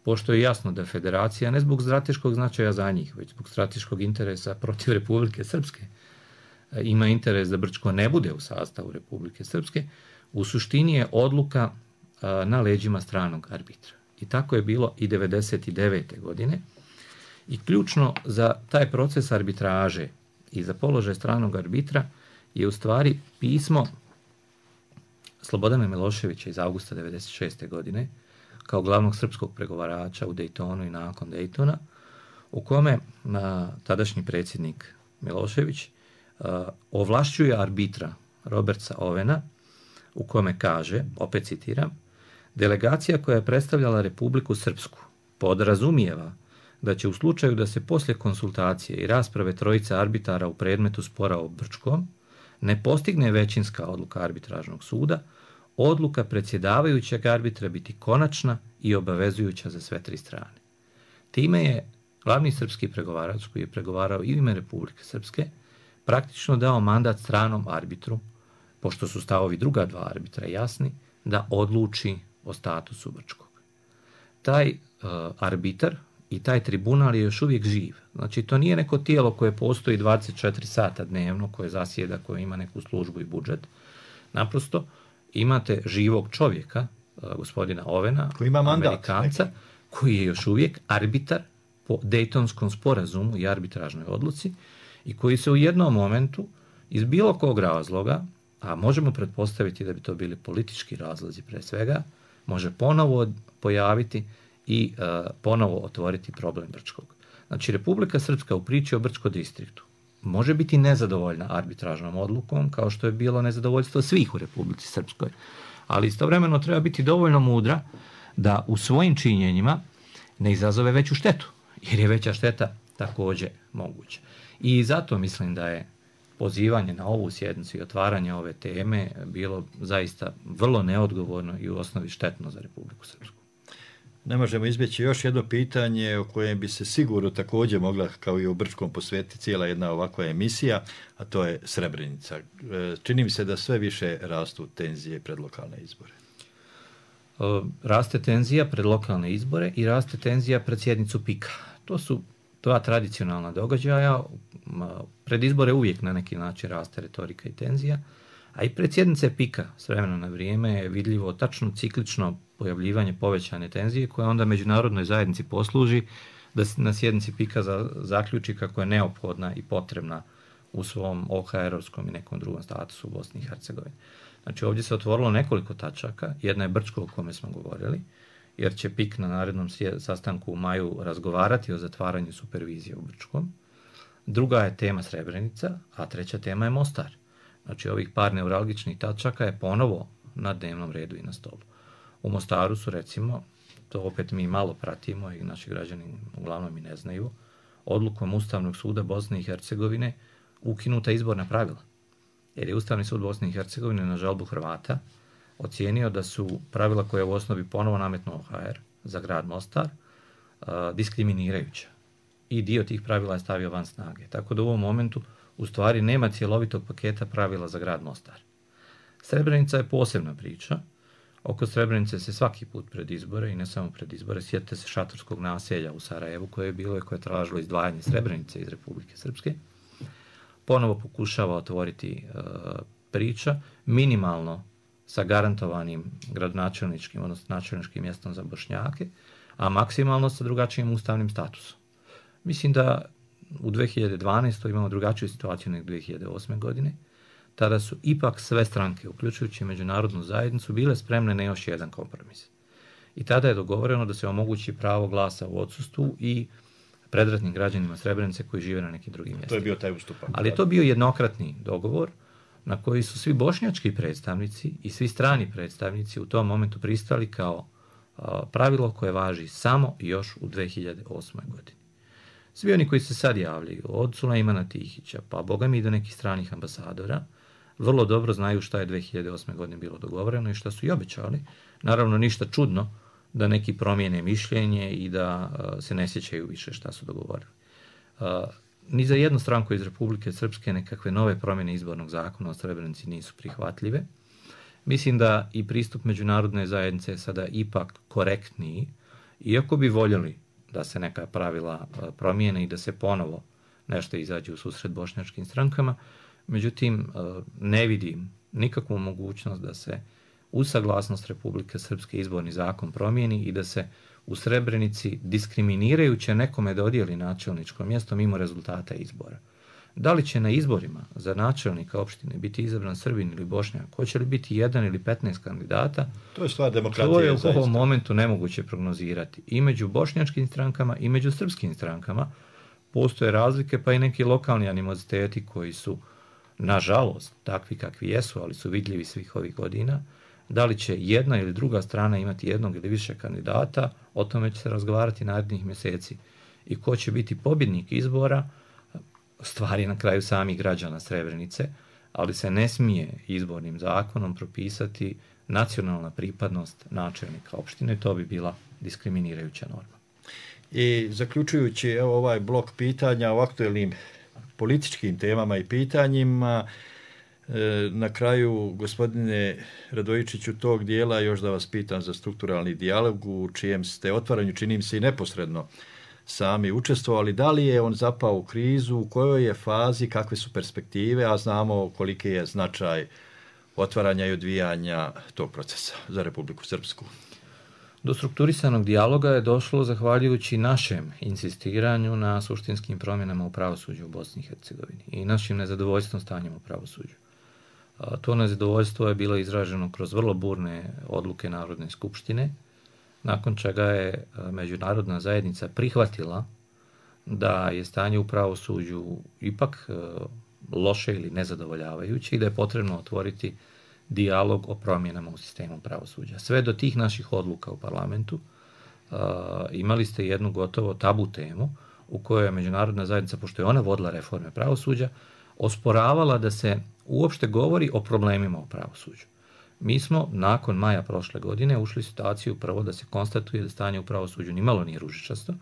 pošto je jasno da Federacija ne zbog strateškog značaja za njih, već zbog strateškog interesa protiv Republike Srpske ima interes da Brčko ne bude u sastavu Republike Srpske, u suštini je odluka na leđima stranog arbitra. I tako je bilo i 1999. godine. I ključno za taj proces arbitraže i za položaj stranog arbitra je u stvari pismo Slobodana Miloševića iz avgusta 1996. godine kao glavnog srpskog pregovarača u Dejtonu i nakon Dejtona, u kome tadašnji predsjednik Milošević ovlašćuje arbitra Roberta Ovena, u kome kaže, opet citiram: delegacija koja je predstavljala Republiku Srpsku podrazumijeva da će u slučaju da se poslije konsultacije i rasprave trojice arbitara u predmetu spora o Brčkom ne postigne većinska odluka arbitražnog suda, odluka predsjedavajućeg arbitra biti konačna i obavezujuća za sve tri strane. Time je glavni srpski pregovarač, koji je pregovarao i u ime Republike Srpske, praktično dao mandat stranom arbitru, pošto su stavovi druga dva arbitra jasni, da odluči o statusu Brčkog. Taj arbitar i taj tribunal je još uvijek živ. Znači, to nije neko tijelo koje postoji 24 sata dnevno, koje zasjeda, koje ima neku službu i budžet. Naprosto, imate živog čovjeka, gospodina Ovena, koji ima mandat, Amerikanca, koji je još uvijek arbitar po Dejtonskom sporazumu i arbitražnoj odluci i koji se u jednom momentu iz bilo kog razloga, a možemo pretpostaviti da bi to bili politički razlozi pre svega, može ponovo pojaviti i ponovo otvoriti problem Brčkog. Znači, Republika Srpska u priči o Brčko distriktu može biti nezadovoljna arbitražnom odlukom, kao što je bilo nezadovoljstvo svih u Republici Srpskoj, ali istovremeno treba biti dovoljno mudra da u svojim činjenjima ne izazove veću štetu, jer je veća šteta također moguća. I zato mislim da je pozivanje na ovu sjednicu i otvaranje ove teme bilo zaista vrlo neodgovorno i u osnovi štetno za Republiku Srpsku. Ne možemo izbjeći još jedno pitanje o kojem bi se sigurno također mogla, kao i o Brčkom, posvetiti cijela jedna ovakva emisija, a to je Srebrenica. Čini mi se da sve više rastu tenzije pred lokalne izbore. Raste tenzija pred lokalne izbore i raste tenzija pred sjednicu PIK-a. To su dva tradicionalna događaja. Pred izbore uvijek na neki način raste retorika i tenzija, A i pred sjednice PIK-a s vremena na vrijeme je vidljivo tačno ciklično pojavljivanje povećane tenzije koja onda međunarodnoj zajednici posluži da se na sjednici PIK-a zaključi kako je neophodna i potrebna u svom OHR-ovskom i nekom drugom statusu u Bosni i Hercegovini. Znači ovdje se otvorilo nekoliko tačaka, jedna je Brčko o kome smo govorili, jer će PIK na narednom sastanku u maju razgovarati o zatvaranju supervizije u Brčkom. Druga je tema Srebrenica, a treća tema je Mostar. Znači ovih par neuralgičnih tačaka je ponovo na dnevnom redu i na stolu. U Mostaru su recimo, to opet mi malo pratimo i naši građani uglavnom i ne znaju, odlukom Ustavnog suda Bosne i Hercegovine ukinuta izborna pravila. Jer je Ustavni sud Bosne i Hercegovine na žalbu Hrvata ocijenio da su pravila koje u osnovi ponovo nametnuo OHR za grad Mostar diskriminirajuća. I dio tih pravila je stavio van snage. Tako da u ovom momentu u stvari nema cjelovitog paketa pravila za grad Mostar. Srebrenica je posebna priča. Oko Srebrenice se svaki put pred izbore i ne samo pred izbore, sjetite se šatorskog naselja u Sarajevu koje je bilo i koje je tražilo izdvajanje Srebrenice iz Republike Srpske. Ponovo pokušava otvoriti priča, minimalno sa garantovanim gradonačelničkim, odnosno načelničkim mjestom za Bošnjake, a maksimalno sa drugačijim ustavnim statusom. Mislim da u 2012. imamo drugačiju situaciju nego 2008. godine. Tada su ipak sve stranke, uključujući međunarodnu zajednicu, bile spremne na još jedan kompromis. I tada je dogovoreno da se omogući pravo glasa u odsustvu i predratnim građanima Srebrenice koji žive na nekim drugim mjestima. To je bio taj ustupak. Ali je to bio jednokratni dogovor na koji su svi bošnjački predstavnici i svi strani predstavnici u tom momentu pristali kao pravilo koje važi samo još u 2008. godini. Svi oni koji se sad javljaju, od Sulejmana Tihića, pa boga mi i do nekih stranih ambasadora, vrlo dobro znaju šta je 2008. godine bilo dogovoreno i šta su i obećali. Naravno, ništa čudno da neki promijene mišljenje i da se ne sjećaju više šta su dogovorili. Ni za jednu stranku iz Republike Srpske nekakve nove promjene izbornog zakona o Srebrenici nisu prihvatljive. Mislim da i pristup međunarodne zajednice je sada ipak korektniji, iako bi voljeli da se neka pravila promijene i da se ponovo nešto izađe u susret bošnjačkim strankama. Međutim, ne vidim nikakvu mogućnost da se uz saglasnost Republike Srpske izborni zakon promijeni i da se u Srebrenici diskriminirajuće nekome dodijeli načelničko mjesto mimo rezultata izbora. Da li će na izborima za načelnika opštine biti izabran Srbin ili Bošnjak, hoće li biti 1 ili 15 kandidata, to je stvar demokratije. To je u ovom momentu nemoguće prognozirati. I među bošnjačkim strankama i među srpskim strankama postoje razlike, pa i neki lokalni animoziteti koji su, nažalost, takvi kakvi jesu, ali su vidljivi svih ovih godina. Da li će jedna ili druga strana imati jednog ili više kandidata, o tome će se razgovarati narednih mjeseci. I ko će biti pobjednik izbora, stvari na kraju samih građana Srebrenice, ali se ne smije izbornim zakonom propisati nacionalna pripadnost načelnika opštine, to bi bila diskriminirajuća norma. I zaključujući ovaj blok pitanja o aktuelnim političkim temama i pitanjima, na kraju, gospodine Radojičiću, tog dijela još da vas pitam za strukturalni dijalog u čijem ste otvaranju, činim se i neposredno, sami učestvovali. Da li je on zapao u krizu, u kojoj je fazi, kakve su perspektive, a znamo koliki je značaj otvaranja i odvijanja tog procesa za Republiku Srpsku? Do strukturisanog dijaloga je došlo zahvaljujući našem insistiranju na suštinskim promjenama u pravosuđu u Bosni i Hercegovini i našim nezadovoljstvom stanjem u pravosuđu. To nezadovoljstvo je bilo izraženo kroz vrlo burne odluke Narodne skupštine, nakon čega je međunarodna zajednica prihvatila da je stanje u pravosuđu ipak loše ili nezadovoljavajuće i da je potrebno otvoriti dijalog o promjenama u sistemu pravosuđa. Sve do tih naših odluka u parlamentu imali ste jednu gotovo tabu temu u kojoj je međunarodna zajednica, pošto je ona vodila reforme pravosuđa, osporavala da se uopšte govori o problemima u pravosuđu. Mi smo nakon maja prošle godine ušli u situaciju prvo da se konstatuje da stanje u pravosuđu nimalo nije ružičasto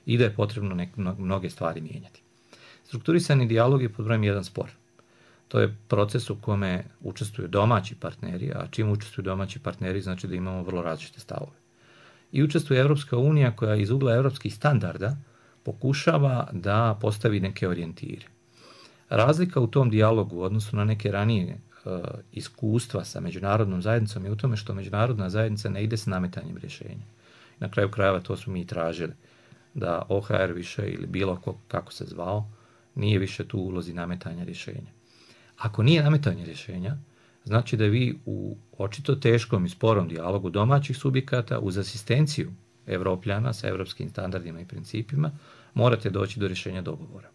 i da je potrebno mnoge stvari mijenjati. Strukturisani dijalog je pod brojem 1 spor. To je proces u kome učestvuju domaći partneri, a čim učestvuju domaći partneri znači da imamo vrlo različite stavove. I učestvuje Evropska unija koja iz ugla evropskih standarda pokušava da postavi neke orijentire. Razlika u tom dijalogu u odnosu na neke ranije iskustva sa međunarodnom zajednicom je u tome što međunarodna zajednica ne ide s nametanjem rješenja. Na kraju krajeva to smo mi tražili, da OHR više ili bilo kako se zvao, nije više tu u ulozi nametanja rješenja. Ako nije nametanje rješenja, znači da vi u očito teškom i sporom dijalogu domaćih subjekata uz asistenciju Evropljana sa evropskim standardima i principima morate doći do rješenja dogovora.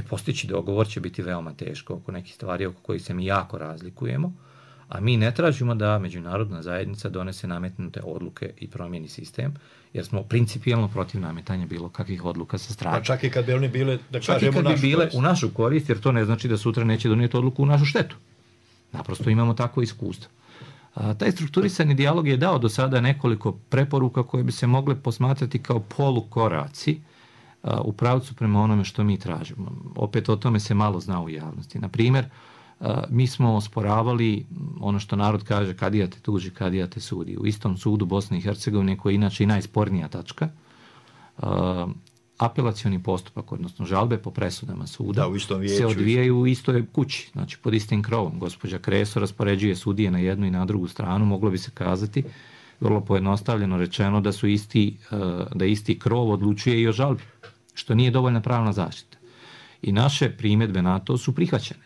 Postići dogovor će biti veoma teško oko nekih stvari oko kojih se mi jako razlikujemo, a mi ne tražimo da međunarodna zajednica donese nametnute odluke i promijeni sistem, jer smo principijelno protiv nametanja bilo kakvih odluka sa strane. Pa čak i kad bi one bile, da čak kažemo, i kad bi bile u našu korist, jer to ne znači da sutra neće donijeti odluku u našu štetu. Naprosto imamo takvo iskustvo. Taj strukturisani dijalog je dao do sada nekoliko preporuka koje bi se mogle posmatrati kao polukoraci u pravcu prema onome što mi tražimo. Opet o tome se malo zna u javnosti. Na primjer, mi smo osporavali ono što narod kaže kadija te tuži, kadija te sudi. U istom sudu Bosne i Hercegovine, koji je inače i najspornija tačka, apelacioni postupak, odnosno žalbe po presudama suda, se odvijaju u istoj kući, znači pod istim krovom. Gospođa Kreso raspoređuje sudije na jednu i na drugu stranu, moglo bi se kazati, vrlo pojednostavljeno rečeno, da isti krov odlučuje i o žalbi, što nije dovoljna pravna zaštita. I naše primjedbe na to su prihvaćene.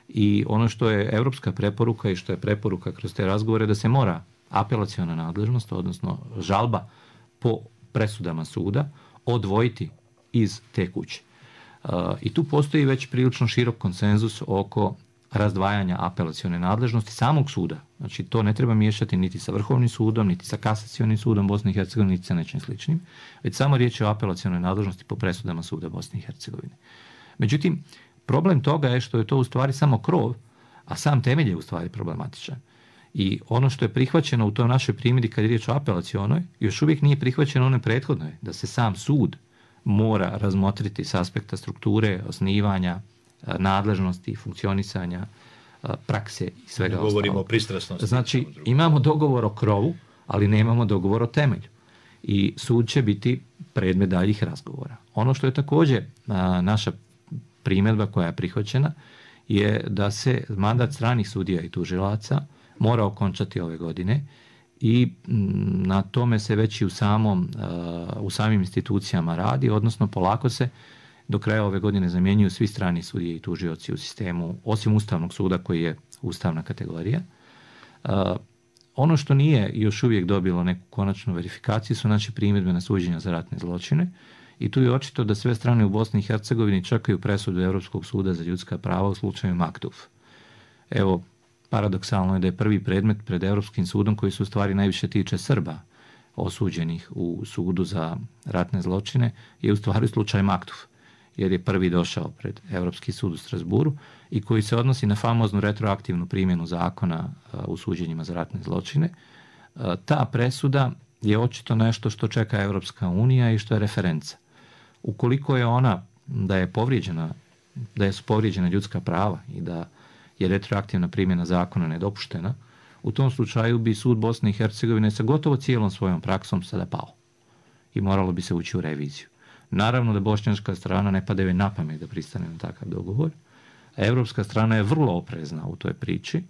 I ono što je evropska preporuka i što je preporuka kroz te razgovore, da se mora apelaciona nadležnost, odnosno žalba po presudama suda, odvojiti iz te kuće. I tu postoji već prilično širok konsenzus oko razdvajanja apelacione nadležnosti samog suda. Znači, to ne treba miješati niti sa Vrhovnim sudom, niti sa Kasacionim sudom Bosne i Hercegovine, niti sa nečim sličnim, već samo riječ je o apelacionoj nadležnosti po presudama suda Bosne i Hercegovine. Međutim, problem toga je što je to u stvari samo krov, a sam temelj je u stvari problematičan. I ono što je prihvaćeno u toj našoj primjeri kad je riječ o apelacionoj, još uvijek nije prihvaćeno onoj prethodnoj, da se sam sud mora razmotriti s aspekta strukture, osnivanja, nadležnosti, funkcionisanja, prakse i svega ostalog. Govorimo o pristrasnosti. Znači, imamo dogovor o krovu, ali nemamo dogovor o temelju. I sud će biti predmet daljih razgovora. Ono što je također naša primjedba koja je prihvaćena je da se mandat stranih sudija i tužilaca mora okončati ove godine i na tome se već i u samim institucijama radi, odnosno polako se do kraja ove godine zamjenjuju svi strani sudije i tužioci u sistemu, osim Ustavnog suda koji je ustavna kategorija. Ono što nije još uvijek dobilo neku konačnu verifikaciju su naše primjedbe na suđenja za ratne zločine i tu je očito da sve strane u Bosni i Hercegovini čekaju presudu Europskog suda za ljudska prava u slučaju Maktuf. Evo, paradoksalno je da je prvi predmet pred Europskim sudom koji se u stvari najviše tiče Srba osuđenih u sudu za ratne zločine je u stvari slučaj Maktuf, jer je prvi došao pred Europski sud u Strasburu i koji se odnosi na famoznu retroaktivnu primjenu zakona u suđenjima za ratne zločine. Ta presuda je očito nešto što čeka Europska unija i što je referenca. Ukoliko je ona da su povrijeđena ljudska prava i da je retroaktivna primjena zakona nedopuštena, u tom slučaju bi sud Bosne i Hercegovine sa gotovo cijelom svojom praksom sada pao i moralo bi se ući u reviziju. Naravno da bošnjačka strana ne pada joj na pamet da pristane na takav dogovor, a europska strana je vrlo oprezna u toj priči,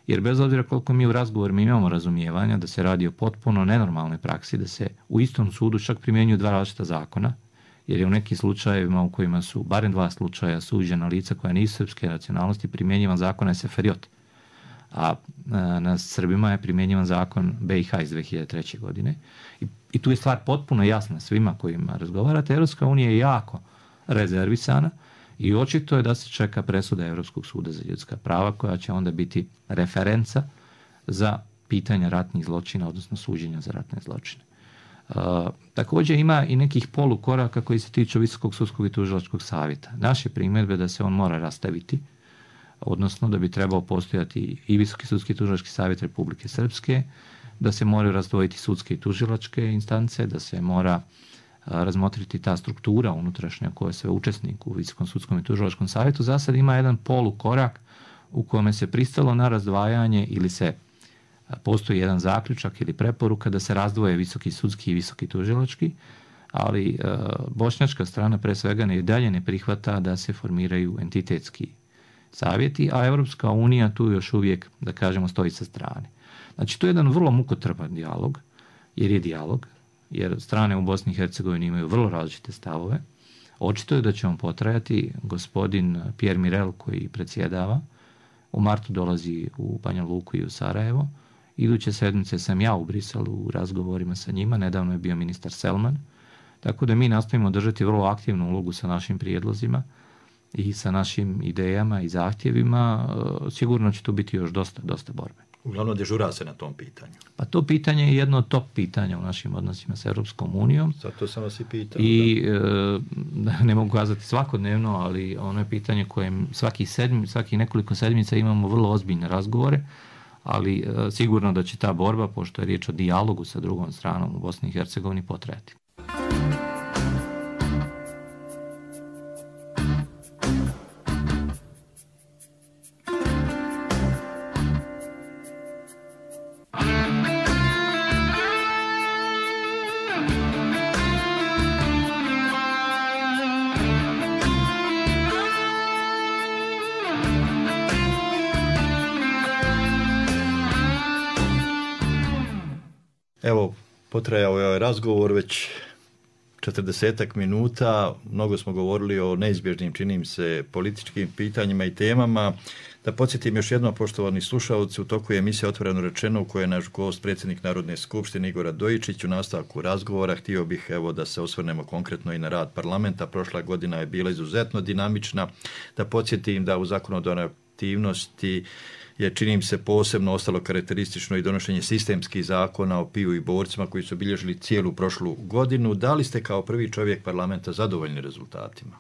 jer bez obzira koliko mi u razgovorima imamo razumijevanja da se radi o potpuno nenormalnoj praksi, da se u istom sudu čak primjenjuju dva različita zakona, jer je u nekim slučajevima u kojima su barem 2 slučaja suđena lica koja nisu srpske nacionalnosti primjenjivan zakon Seferiot, a na Srbima je primjenjivan zakon BiH iz 2003. godine. I tu je stvar potpuno jasna svima kojima razgovarate. Europska unija je jako rezervisana i očito je da se čeka presuda Europskog suda za ljudska prava koja će onda biti referenca za pitanja ratnih zločina, odnosno suđenja za ratne zločine. Također ima i nekih polukoraka koji se tiču Visokog sudskog i tužilačkog savjeta. Naše primjedbe da se on mora rastaviti, odnosno da bi trebao postojati i Visoki sudski i tužilački savjet Republike Srpske, da se moraju razdvojiti sudske i tužilačke instance, da se mora razmotriti ta struktura unutrašnja koja je sve učesnik u Visokom sudskom i tužilačkom savjetu. Za sad ima jedan polukorak u kome se pristalo na razdvajanje ili se postoji jedan zaključak ili preporuka da se razdvoje Visoki sudski i Visoki tužilački, ali bošnjačka strana pre svega i dalje ne prihvata da se formiraju entitetski savjeti, a Europska unija tu još uvijek, da kažemo, stoji sa strane. Znači, to je jedan vrlo mukotrpan dijalog, jer strane u Bosni i Hercegovini imaju vrlo različite stavove. Očito je da će on potrajati. Gospodin Pierre Mirel, koji predsjedava, u martu dolazi u Banja Luku i u Sarajevo. Iduće sedmice sam ja u Briselu u razgovorima sa njima, nedavno je bio ministar Selman, tako da mi nastavimo držati vrlo aktivnu ulogu sa našim prijedlozima i sa našim idejama i zahtjevima. Sigurno će tu biti još dosta borbe. Uglavnom dežura se na tom pitanju. Pa to pitanje je jedno od top pitanja u našim odnosima sa Europskom unijom. Zato sam vas i pitao. I ne mogu kazati svakodnevno, ali ono je pitanje kojem svaki nekoliko sedmica imamo vrlo ozbiljne razgovore, ali sigurno da će ta borba, pošto je riječ o dijalogu sa drugom stranom u Bosni i Hercegovini, potrajati. Evo, potrajao je ovaj razgovor već 40 minuta, mnogo smo govorili o neizbježnim, činim se, političkim pitanjima i temama. Da podsjetim još jednom, poštovani slušalci, u toku je emisija Otvoreno rečeno u kojoj je naš gost, predsjednik Narodne skupštine Igor Radojičić. U nastavku razgovora htio bih da se osvrnemo konkretno i na rad parlamenta. Prošla godina je bila izuzetno dinamična. Da podsjetim da u zakonodavnoj aktivnosti je, činim se, posebno ostalo karakteristično i donošenje sistemskih zakona o piju i borcima koji su obilježili cijelu prošlu godinu. Da li ste kao prvi čovjek parlamenta zadovoljni rezultatima?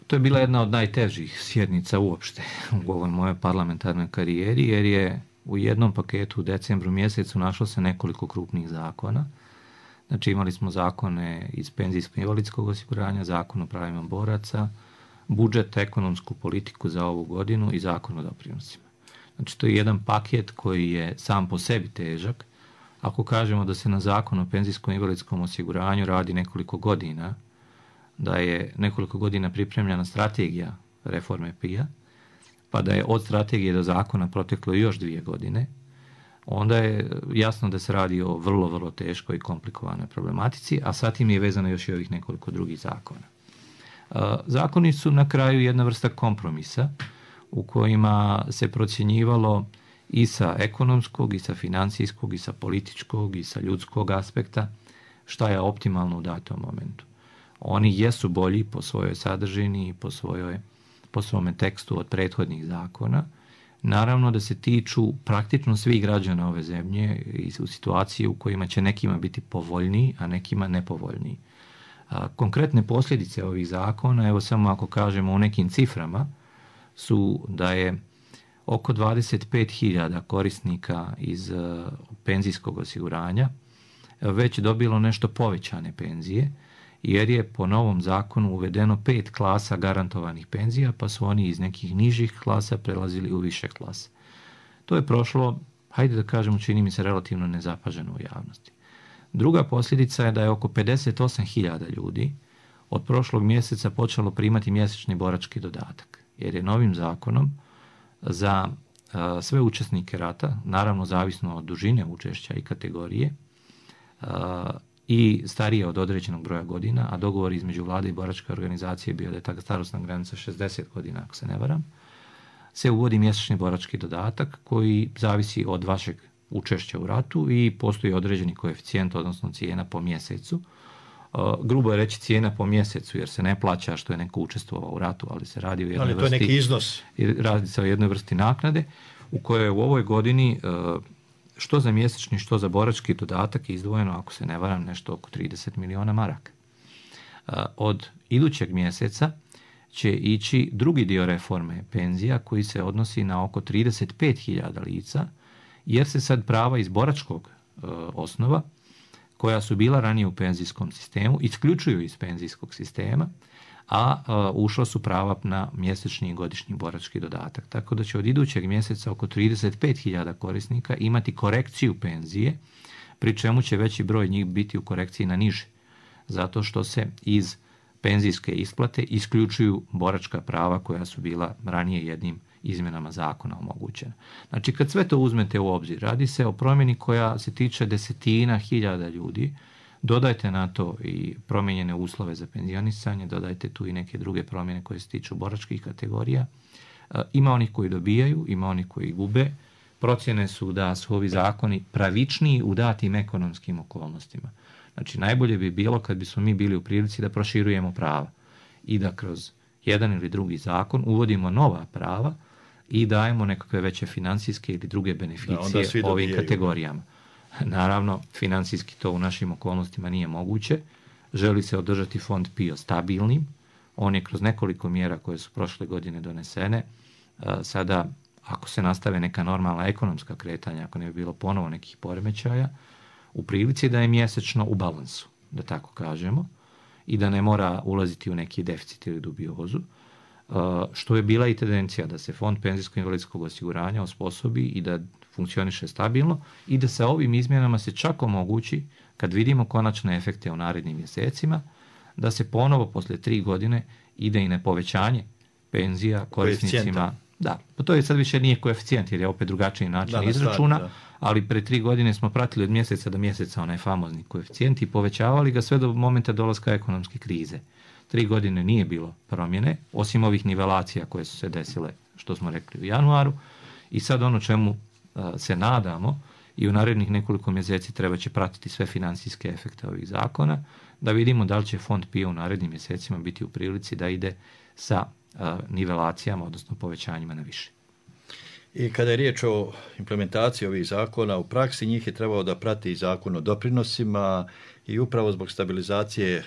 To je bila jedna od najtežih sjednica uopšte u ovoj mojoj parlamentarnoj karijeri, jer je u jednom paketu u decembru mjesecu našlo se nekoliko krupnih zakona. Znači, imali smo zakone iz penzijsko-invalidskog osiguranja, zakon o pravima boraca, budžet, ekonomsku politiku za ovu godinu i zakon o doprinosima. Znači, to je jedan paket koji je sam po sebi težak. Ako kažemo da se na zakon o penzijsko-invalidskom osiguranju radi nekoliko godina, da je nekoliko godina pripremljena strategija reforme PIA, pa da je od strategije do zakona proteklo još 2 godine, onda je jasno da se radi o vrlo, vrlo teškoj i komplikovanoj problematici, a sa tim je vezano još i ovih nekoliko drugih zakona. Zakoni su na kraju jedna vrsta kompromisa u kojima se procjenjivalo i sa ekonomskog, i sa financijskog, i sa političkog, i sa ljudskog aspekta šta je optimalno u datom momentu. Oni jesu bolji po svojoj sadržini i po svome tekstu od prethodnih zakona. Naravno da se tiču praktično svih građana ove zemlje i u situaciji u kojima će nekima biti povoljniji, a nekima nepovoljniji. Konkretne posljedice ovih zakona, evo samo ako kažemo u nekim ciframa, su da je oko 25.000 korisnika iz penzijskog osiguranja već dobilo nešto povećane penzije, jer je po novom zakonu uvedeno 5 klasa garantovanih penzija, pa su oni iz nekih nižih klasa prelazili u više klase. To je prošlo, hajde da kažemo, čini mi se relativno nezapaženo u javnosti. Druga posljedica je da je oko 58.000 ljudi od prošlog mjeseca počelo primati mjesečni borački dodatak, jer je novim zakonom za sve učesnike rata, naravno zavisno od dužine učešća i kategorije, i starije od određenog broja godina, a dogovor između vlade i boračke organizacije bio da je ta starosna granica 60 godina, ako se ne varam, se uvodi mjesečni borački dodatak koji zavisi od vašeg učešća u ratu i postoji određeni koeficijent, odnosno cijena po mjesecu. Grubo je reći cijena po mjesecu, jer se ne plaća što je neko učestvovao u ratu, ali se radi o jednoj vrsti, neki iznos. Radi se o jednoj vrsti naknade u kojoj je u ovoj godini što za mjesečni, što za borački dodatak izdvojeno, ako se ne varam, nešto oko 30 miliona maraka. Od idućeg mjeseca će ići drugi dio reforme penzija koji se odnosi na oko 35.000 lica, jer se sad prava iz boračkog osnova, koja su bila ranije u penzijskom sistemu, isključuju iz penzijskog sistema, a ušla su prava na mjesečni i godišnji borački dodatak. Tako da će od idućeg mjeseca oko 35.000 korisnika imati korekciju penzije, pri čemu će veći broj njih biti u korekciji na niže, zato što se iz penzijske isplate isključuju boračka prava koja su bila ranije jednim izmjenama zakona omogućena. Znači, kad sve to uzmete u obzir, radi se o promjeni koja se tiče desetina hiljada ljudi, dodajte na to i promijenjene uslove za penzionisanje, dodajte tu i neke druge promjene koje se tiču boračkih kategorija. Ima onih koji dobijaju, ima onih koji gube. Procjene su da su ovi zakoni pravičniji u datim ekonomskim okolnostima. Znači, najbolje bi bilo kad bismo mi bili u prilici da proširujemo prava i da kroz jedan ili drugi zakon uvodimo nova prava i dajemo nekakve veće financijske ili druge beneficije ovim kategorijama. Naravno, financijski to u našim okolnostima nije moguće. Želi se održati fond PIO stabilnim. On je kroz nekoliko mjera koje su prošle godine donesene. Sada, ako se nastave neka normalna ekonomska kretanja, ako ne bi bilo ponovo nekih poremećaja, u prilici da je mjesečno u balansu, da tako kažemo, i da ne mora ulaziti u neki deficit ili dubiozu, što je bila i tendencija da se fond penzijsko-invalidskog osiguranja osposobi i da funkcioniše stabilno i da sa ovim izmjenama se čak omogući, kad vidimo konačne efekte u narednim mjesecima, da se ponovo posle 3 godine ide i na povećanje penzija korisnicima. Da, pa to je sad više nije koeficijent jer je opet drugačiji način izračuna, ali pre 3 godine smo pratili od mjeseca do mjeseca onaj famozni koeficijent i povećavali ga sve do momenta dolaska ekonomske krize. 3 godine nije bilo promjene, osim ovih nivelacija koje su se desile, što smo rekli u januaru, i sad ono čemu se nadamo i u narednih nekoliko mjeseci treba će pratiti sve financijske efekte ovih zakona, da vidimo da li će fond PIO u narednim mjesecima biti u prilici da ide sa nivelacijama, odnosno povećanjima na više. I kada je riječ o implementaciji ovih zakona u praksi, njih je trebao da prati i zakon o doprinosima i upravo zbog stabilizacije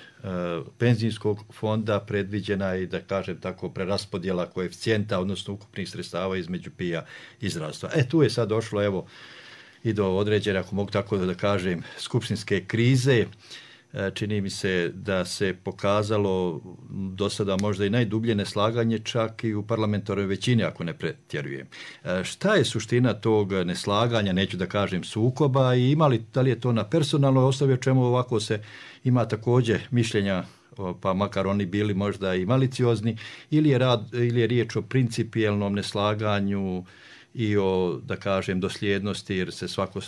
penzijskog fonda predviđena i, da kažem tako, preraspodjela koeficijenta, odnosno ukupnih sredstava između PIO-a i zdravstva. Tu je sad došlo, evo, i do određene, ako mogu tako da kažem, skupštinske krize. Čini mi se da se pokazalo do sada možda i najdublje neslaganje čak i u parlamentarnoj većini, ako ne pretjerujem. Šta je suština tog neslaganja, neću da kažem sukoba, i da li je to na personalnoj osnovi, o čemu ovako se ima također mišljenja, pa makar oni bili možda i maliciozni, ili je riječ o principijelnom neslaganju i o, da kažem, dosljednosti, jer se svako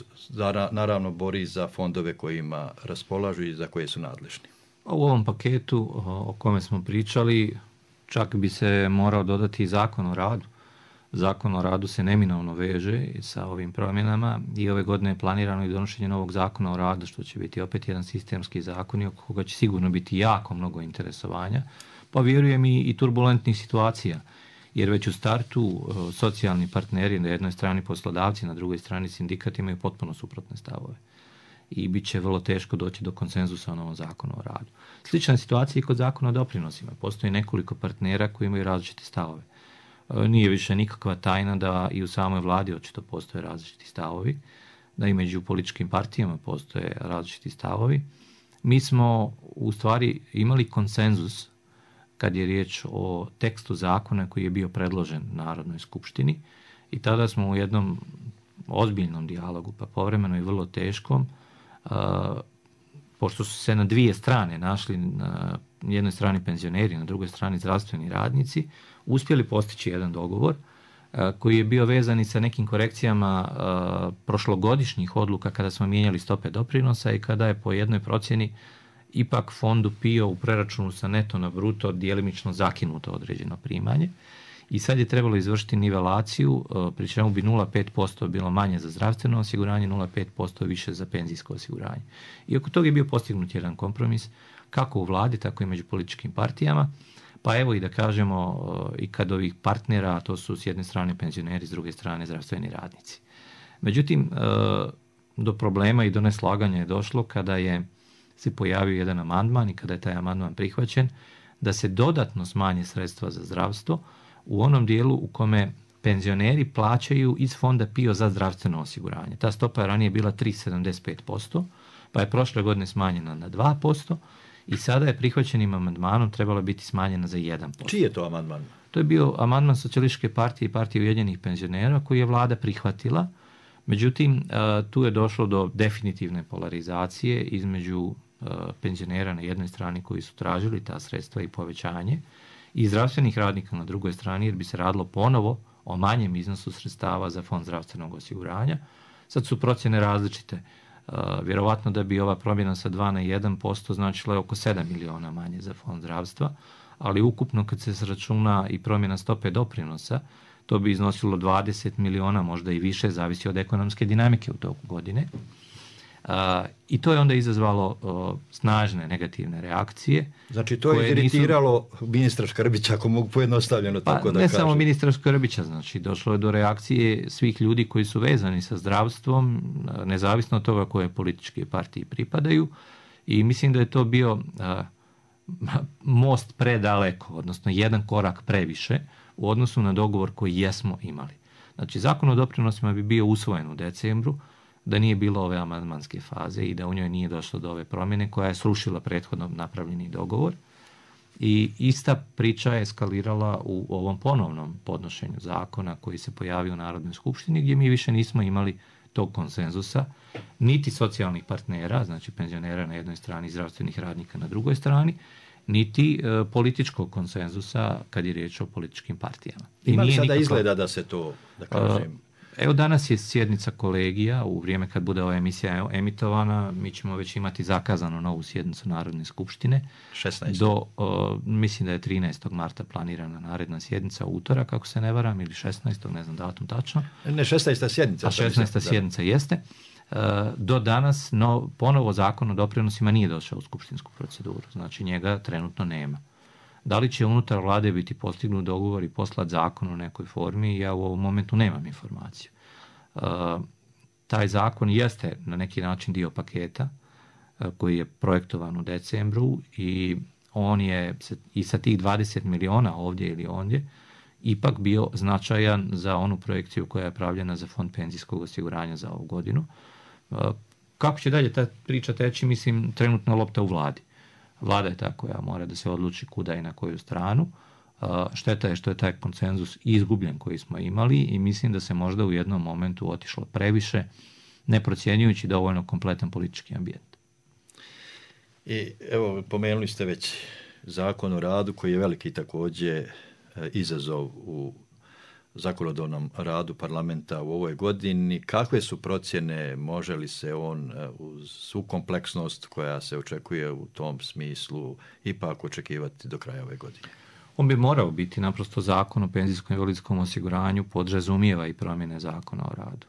naravno bori za fondove kojima raspolažu i za koje su nadležni. U ovom paketu o kome smo pričali, čak bi se morao dodati i Zakon o radu. Zakon o radu se neminovno veže sa ovim promjenama i ove godine je planirano i donošenje novog Zakona o radu, što će biti opet jedan sistemski zakon i oko koga će sigurno biti jako mnogo interesovanja, pa vjerujem i turbulentnih situacija. Jer već u startu socijalni partneri, na jednoj strani poslodavci, na drugoj strani sindikat, imaju potpuno suprotne stavove. I bit će vrlo teško doći do konsenzusa o novom zakonu o radu. Slična situacija i kod zakona o doprinosima. Postoji nekoliko partnera koji imaju različite stavove. Nije više nikakva tajna da i u samoj vladi očito postoje različiti stavovi, da i među političkim partijama postoje različiti stavovi. Mi smo u stvari imali konsenzus kad je riječ o tekstu zakona koji je bio predložen Narodnoj skupštini, i tada smo u jednom ozbiljnom dijalogu, pa povremeno i vrlo teškom, pošto su se na dvije strane našli, na jednoj strani penzioneri, na drugoj strani zdravstveni radnici, uspjeli postići jedan dogovor koji je bio vezan i sa nekim korekcijama prošlogodišnjih odluka kada smo mijenjali stope doprinosa i kada je po jednoj procjeni ipak fondu PIO u preračunu sa neto na bruto djelimično zakinuto određeno primanje. I sad je trebalo izvršiti nivelaciju, pri čemu bi 0,5% bilo manje za zdravstveno osiguranje, 0,5% više za penzijsko osiguranje. I oko toga je bio postignut jedan kompromis, kako u vladi, tako i među političkim partijama. Pa evo i da kažemo i kad ovih partnera, to su s jedne strane penzioneri, s druge strane zdravstveni radnici. Međutim, do problema i do neslaganja je došlo kada se pojavio jedan amandman i kada je taj amandman prihvaćen, da se dodatno smanje sredstva za zdravstvo u onom dijelu u kome penzioneri plaćaju iz fonda PIO za zdravstveno osiguranje. Ta stopa je ranije bila 3,75%, pa je prošle godine smanjena na 2% i sada je prihvaćenim amandmanom trebala biti smanjena za 1%. Čiji je to amandman? To je bio amandman Socijalističke partije i Partije ujedinjenih penzionera koji je vlada prihvatila. Međutim, tu je došlo do definitivne polarizacije između penzionera na jednoj strani koji su tražili ta sredstva i povećanje i zdravstvenih radnika na drugoj strani, jer bi se radilo ponovo o manjem iznosu sredstava za fond zdravstvenog osiguranja. Sad su procjene različite. Vjerovatno da bi ova promjena sa 2 na 1% značila je oko 7 miliona manje za fond zdravstva, ali ukupno kad se sračuna i promjena stope doprinosa, to bi iznosilo 20 miliona, možda i više, zavisi od ekonomske dinamike u toku godine. I to je onda izazvalo snažne negativne reakcije. Znači to je iritiralo ministra Škrbića, ako mogu pojednostavljeno tako da kažem. Ne samo ministra Škrbića, znači došlo je do reakcije svih ljudi koji su vezani sa zdravstvom, nezavisno od toga koje političke partije pripadaju, i mislim da je to bio most predaleko, odnosno jedan korak previše u odnosu na dogovor koji jesmo imali. Znači Zakon o doprinosima bi bio usvojen u decembru da nije bilo ove amandmanske faze i da u njoj nije došlo do ove promjene koja je srušila prethodno napravljeni dogovor. I ista priča je eskalirala u ovom ponovnom podnošenju zakona koji se pojavio u Narodnoj skupštini, gdje mi više nismo imali tog konsenzusa, niti socijalnih partnera, znači penzionera na jednoj strani, zdravstvenih radnika na drugoj strani, niti političkog konsenzusa kad je riječ o političkim partijama. Ima li sada izgleda da se to, da kažem... Evo danas je sjednica kolegija, u vrijeme kad bude ova emisija emitovana, mi ćemo već imati zakazanu novu sjednicu Narodne skupštine. 16. Mislim da je 13. marta planirana naredna sjednica, utorak, ako se ne varam, ili 16. ne znam datum tačno. Ne, 16. sjednica. A 16. sjednica jeste. Do danas ponovo Zakon o doprinosima nije došao u skupštinsku proceduru, znači njega trenutno nema. Da li će unutar vlade biti postignut dogovor i poslati zakon u nekoj formi, ja u ovom momentu nemam informaciju. Taj zakon jeste na neki način dio paketa koji je projektovan u decembru i on je i sa tih 20 miliona ovdje ili ondje ipak bio značajan za onu projekciju koja je pravljena za fond penzijskog osiguranja za ovu godinu. Kako će dalje ta priča teći, mislim, trenutno lopta u vladi. Vlada je ta koja mora da se odluči kuda i na koju stranu. Šteta je što je taj konsenzus izgubljen koji smo imali i mislim da se možda u jednom momentu otišlo previše, ne procjenjujući dovoljno kompletan politički ambijent. I evo, pomenuli ste već Zakon o radu koji je veliki također izazov u zakonodavnom radu parlamenta u ovoj godini. Kakve su procjene, može li se on uz svu kompleksnost koja se očekuje u tom smislu ipak očekivati do kraja ove godine? On bi morao biti, naprosto Zakon o penzijskom i invalidskom osiguranju podrazumijeva i promjene Zakona o radu.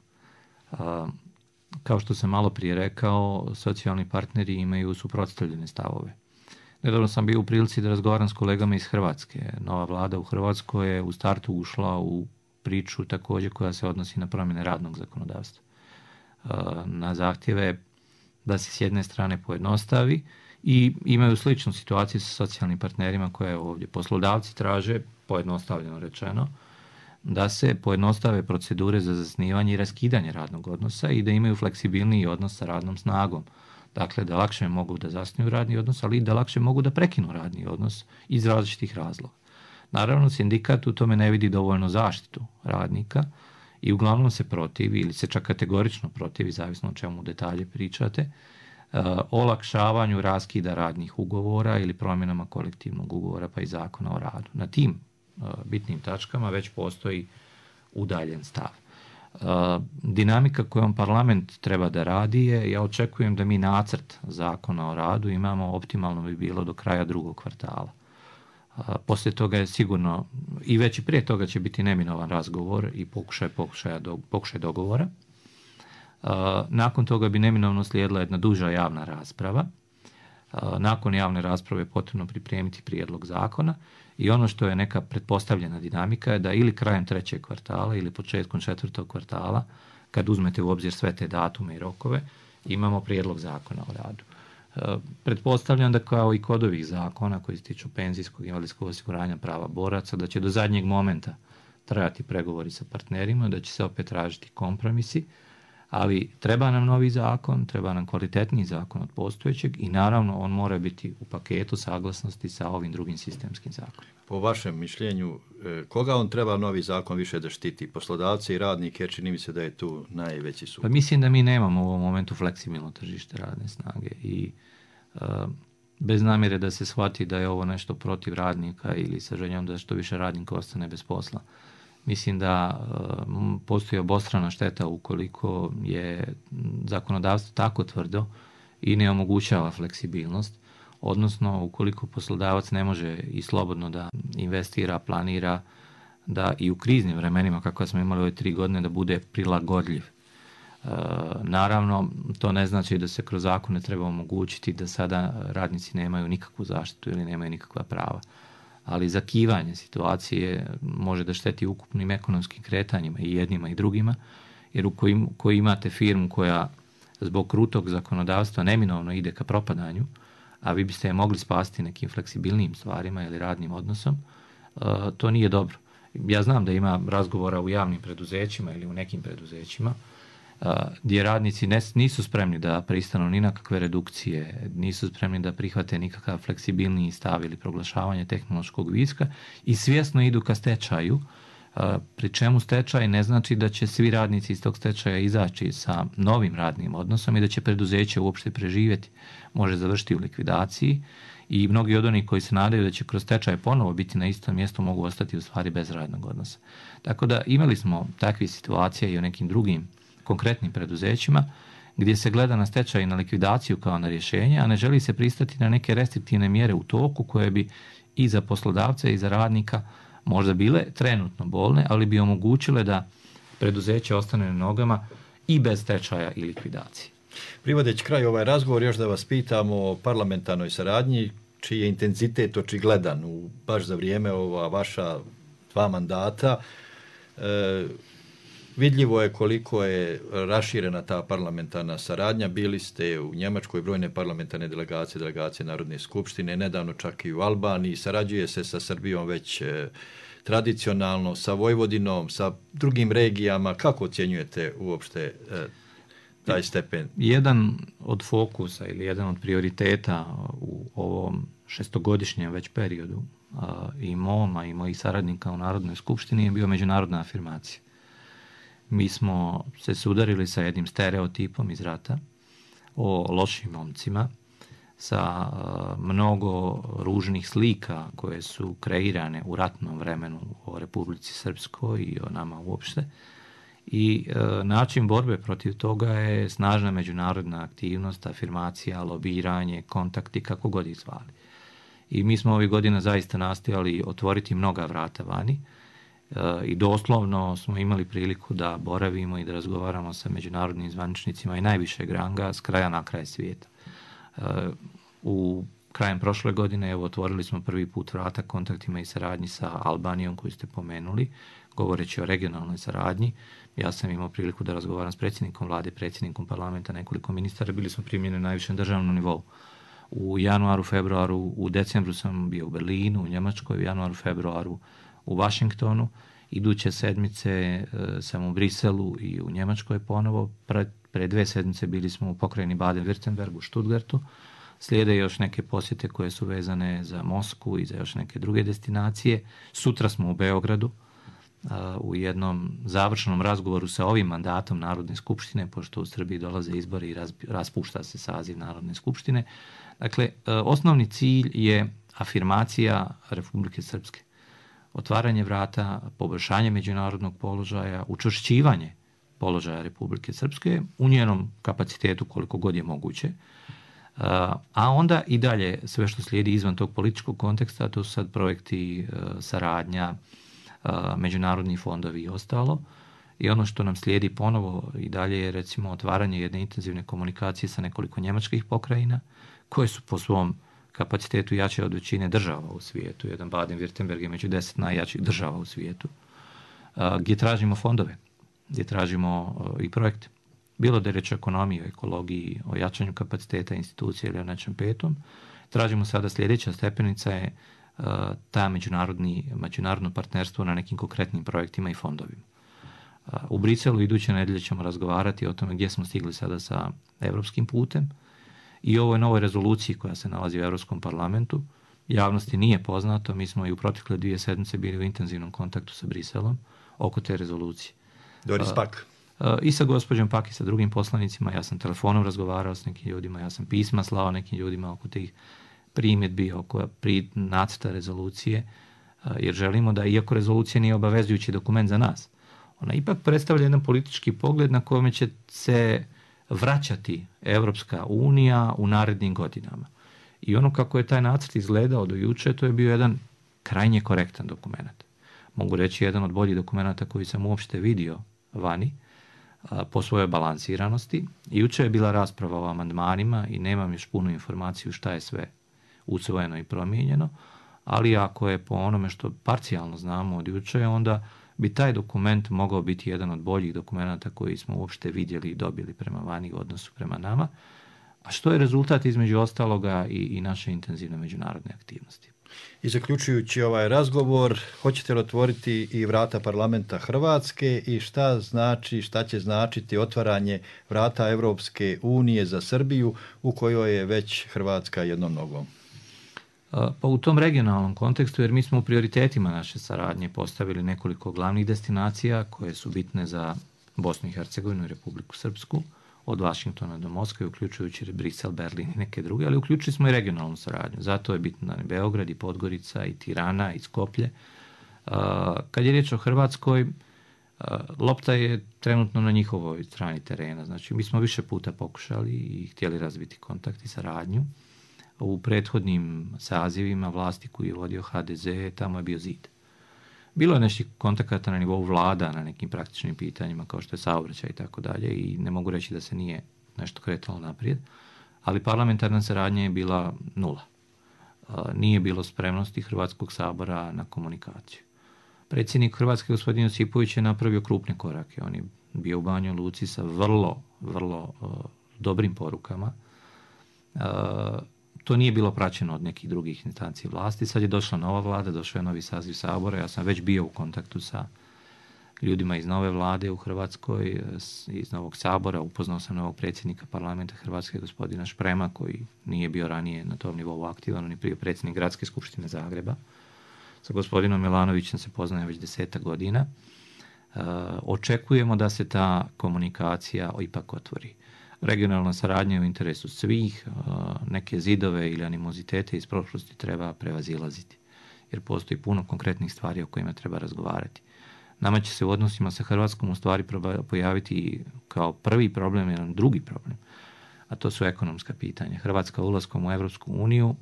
Kao što sam malo prije rekao, socijalni partneri imaju suprotstavljene stavove. Nedavno sam bio u prilici da razgovaram s kolegama iz Hrvatske. Nova vlada u Hrvatskoj je u startu ušla u priču također koja se odnosi na promjene radnog zakonodavstva. Na zahtjeve da se s jedne strane pojednostavi i imaju sličnu situaciju sa socijalnim partnerima koje ovdje poslodavci traže, pojednostavljeno rečeno, da se pojednostave procedure za zasnivanje i raskidanje radnog odnosa i da imaju fleksibilniji odnos sa radnom snagom. Dakle, da lakše mogu da zasnuju radni odnos, ali i da lakše mogu da prekinu radni odnos iz različitih razloga. Naravno, sindikat u tome ne vidi dovoljno zaštitu radnika i uglavnom se protivi ili se čak kategorično protivi, zavisno o čemu detalje pričate, olakšavanju raskida radnih ugovora ili promjenama kolektivnog ugovora pa i Zakona o radu. Na tim bitnim tačkama već postoji udaljen stav. Dinamika kojom parlament treba da radi je, ja očekujem da mi nacrt Zakona o radu imamo, optimalno bi bilo do kraja drugog kvartala. Poslije toga je sigurno, i već i prije toga će biti neminovan razgovor i pokušaj dogovora. Nakon toga bi neminovno slijedila jedna duža javna rasprava. Nakon javne rasprave je potrebno pripremiti prijedlog zakona i ono što je neka pretpostavljena dinamika je da ili krajem trećeg kvartala ili početkom četvrtog kvartala, kad uzmete u obzir sve te datume i rokove, imamo prijedlog zakona o radu. Pretpostavljam da kao i kod ovih zakona koji se tiču penzijskog i invalidskog osiguranja prava boraca, da će do zadnjeg momenta trajati pregovori sa partnerima, da će se opet tražiti kompromisi, ali treba nam novi zakon, treba nam kvalitetniji zakon od postojećeg i naravno on mora biti u paketu saglasnosti sa ovim drugim sistemskim zakonima. Po vašem mišljenju, koga on treba novi zakon više da štiti? Poslodavce i radnike, jer čini mi se da je tu najveći sukob. Pa mislim da mi nemamo u ovom momentu fleksibilno tržište radne snage i bez namjere da se shvati da je ovo nešto protiv radnika ili sa željom da što više radnika ostane bez posla. Mislim da postoji obostrana šteta ukoliko je zakonodavstvo tako tvrdo i ne omogućava fleksibilnost, odnosno ukoliko poslodavac ne može i slobodno da investira, planira, da i u kriznim vremenima, kako smo imali ove 3 godine, da bude prilagodljiv. Naravno, to ne znači da se kroz zakone treba omogućiti da sada radnici nemaju nikakvu zaštitu ili nemaju nikakva prava. Ali zakivanje situacije može da šteti ukupnim ekonomskim kretanjima i jednima i drugima, jer koji imate firmu koja zbog krutog zakonodavstva neminovno ide ka propadanju, a vi biste je mogli spasti nekim fleksibilnijim stvarima ili radnim odnosom, to nije dobro. Ja znam da ima razgovora u javnim preduzećima ili u nekim preduzećima gdje radnici nisu spremni da pristanu ni na kakve redukcije, nisu spremni da prihvate nikakav fleksibilniji stav ili proglašavanje tehnološkog viška i svjesno idu ka stečaju, pri čemu stečaj ne znači da će svi radnici iz tog stečaja izaći sa novim radnim odnosom i da će preduzeće uopšte preživjeti. Može završiti u likvidaciji i mnogi od onih koji se nadaju da će kroz stečaj ponovo biti na istom mjestu mogu ostati u stvari bez radnog odnosa. Tako da imali smo takve situacije i u nekim drugim konkretnim preduzećima gdje se gleda na stečaj i na likvidaciju kao na rješenje, a ne želi se pristati na neke restriktivne mjere u toku koje bi i za poslodavca i za radnika možda bile trenutno bolne, ali bi omogućile da preduzeće ostane na nogama i bez stečaja i likvidacije. Privodeći kraj ovaj razgovor, još da vas pitamo o parlamentarnoj saradnji, čiji je intenzitet očigledan baš za vrijeme ova vaša 2 mandata. Vidljivo je koliko je raširena ta parlamentarna saradnja. Bili ste u Njemačkoj, brojne parlamentarne delegacije Narodne skupštine, nedavno čak i u Albaniji. Sarađuje se sa Srbijom već tradicionalno, sa Vojvodinom, sa drugim regijama. Kako ocjenjujete uopšte taj stepen? Jedan od fokusa ili jedan od prioriteta u ovom 6-godišnjem već periodu i mom, a i mojih saradnika u Narodnoj skupštini je bio međunarodna afirmacija. Mi smo se sudarili sa jednim stereotipom iz rata o lošim momcima, sa mnogo ružnih slika koje su kreirane u ratnom vremenu o Republici Srpskoj i o nama uopšte. I način borbe protiv toga je snažna međunarodna aktivnost, afirmacija, lobiranje, kontakti, kako god ih zvali. I mi smo ovih godina zaista nastojali otvoriti mnoga vrata vani i doslovno smo imali priliku da boravimo i da razgovaramo sa međunarodnim zvaničnicima i najvišeg ranga s kraja na kraj svijeta. U krajem prošle godine otvorili smo prvi put vrata kontaktima i saradnji sa Albanijom koju ste pomenuli, govoreći o regionalnoj saradnji. Ja sam imao priliku da razgovaram s predsjednikom vlade, predsjednikom parlamenta, nekoliko ministara, bili smo primljeni na najvišem državnom nivou. U januaru, februaru, u decembru sam bio u Berlinu, u Njemačkoj, u januaru, februaru u Washingtonu. Iduće sedmice sam u Briselu i u Njemačkoj ponovo. Pre 2 sedmice bili smo u pokrajini Baden-Württemberg u Stuttgartu. Slijede još neke posjete koje su vezane za Moskvu i za još neke druge destinacije. Sutra smo u Beogradu u jednom završenom razgovoru sa ovim mandatom Narodne skupštine, pošto u Srbiji dolaze izbori i raspušta se saziv Narodne skupštine. Dakle, osnovni cilj je afirmacija Republike Srpske. Otvaranje vrata, poboljšanje međunarodnog položaja, učvršćivanje položaja Republike Srpske u njenom kapacitetu koliko god je moguće. A onda i dalje sve što slijedi izvan tog političkog konteksta, to su sad projekti saradnja, međunarodni fondovi i ostalo. I ono što nam slijedi ponovo i dalje je recimo otvaranje jedne intenzivne komunikacije sa nekoliko njemačkih pokrajina koje su po svom kapacitetu jače od većine država u svijetu. Jedan Baden-Württemberg je među 10 najjačih država u svijetu. Gdje tražimo fondove, gdje tražimo i projekte. Bilo da je reč o ekonomiji, o ekologiji, o jačanju kapaciteta institucije ili o nečem petom. Tražimo sada sljedeća stepenica je ta međunarodno partnerstvo na nekim konkretnim projektima i fondovima. U Briselu iduće nedelje ćemo razgovarati o tome gdje smo stigli sada sa evropskim putem i ovoj novoj rezoluciji koja se nalazi u Europskom parlamentu. Javnosti nije poznato, mi smo i u protekle 2 sedmice bili u intenzivnom kontaktu sa Briselom oko te rezolucije. Doris Pack. I sa gospođom Pak i sa drugim poslanicima. Ja sam telefonom razgovarao s nekim ljudima, ja sam pisma slao nekim ljudima oko tih primjedbi, oko nacrta rezolucije, jer želimo da, iako rezolucija nije obavezujući dokument za nas, ona ipak predstavlja jedan politički pogled na kome će se vraćati Evropska unija u narednim godinama. I ono kako je taj nacrt izgledao do juče, to je bio jedan krajnje korektan dokument. Mogu reći jedan od boljih dokumenata koji sam uopšte vidio vani po svojoj balansiranosti. I juče je bila rasprava o amandmanima i nemam još punu informaciju šta je sve usvojeno i promijenjeno, ali ako je po onome što parcijalno znamo od juče, onda bi taj dokument mogao biti jedan od boljih dokumenata koji smo uopšte vidjeli i dobili prema vani u odnosu prema nama, a što je rezultat između ostaloga i naše intenzivne međunarodne aktivnosti. I zaključujući ovaj razgovor, hoćete li otvoriti i vrata parlamenta Hrvatske i šta će značiti otvaranje vrata Evropske unije za Srbiju u kojoj je već Hrvatska jednom nogom? Pa u tom regionalnom kontekstu, jer mi smo u prioritetima naše saradnje postavili nekoliko glavnih destinacija koje su bitne za Bosnu i Hercegovinu i Republiku Srpsku, od Vašingtona do Moskve, uključujući Brisel, Berlin i neke druge, ali uključili smo i regionalnu saradnju. Zato je bitno i Beograd, i Podgorica, i Tirana, i Skoplje. Kad je riječ o Hrvatskoj, lopta je trenutno na njihovoj strani terena. Znači, mi smo više puta pokušali i htjeli razviti kontakt i saradnju. U prethodnim sazivima vlasti koji je vodio HDZ, tamo je bio zid. Bilo je nešto kontakata na nivou vlada na nekim praktičnim pitanjima kao što je saobraćaj i tako dalje i ne mogu reći da se nije nešto kretalo naprijed, ali parlamentarna saradnja je bila nula. Nije bilo spremnosti Hrvatskog sabora na komunikaciju. Predsjednik Hrvatske, gospodin Josipović, je napravio krupne korake. On je bio u Banjoj Luci sa vrlo dobrim porukama. To nije bilo praćeno od nekih drugih instancija vlasti. Sad je došla nova vlada, došao je novi saziv Sabora. Ja sam već bio u kontaktu sa ljudima iz nove vlade u Hrvatskoj, iz novog Sabora. Upoznao sam novog predsjednika parlamenta Hrvatske, gospodina Šprema, koji nije bio ranije na tom nivou aktivan, on je prije predsjednik Gradske skupštine Zagreba. Sa gospodinom Milanovićem se poznaje već 10 godina. Očekujemo da se ta komunikacija ipak otvori. Regionalna saradnja je u interesu svih, neke zidove ili animozitete iz prošlosti treba prevazilaziti, jer postoji puno konkretnih stvari o kojima treba razgovarati. Nama će se u odnosima sa Hrvatskom u stvari pojaviti kao prvi problem, jedan drugi problem, a to su ekonomska pitanja. Hrvatska ulaskom u Evropsku uniju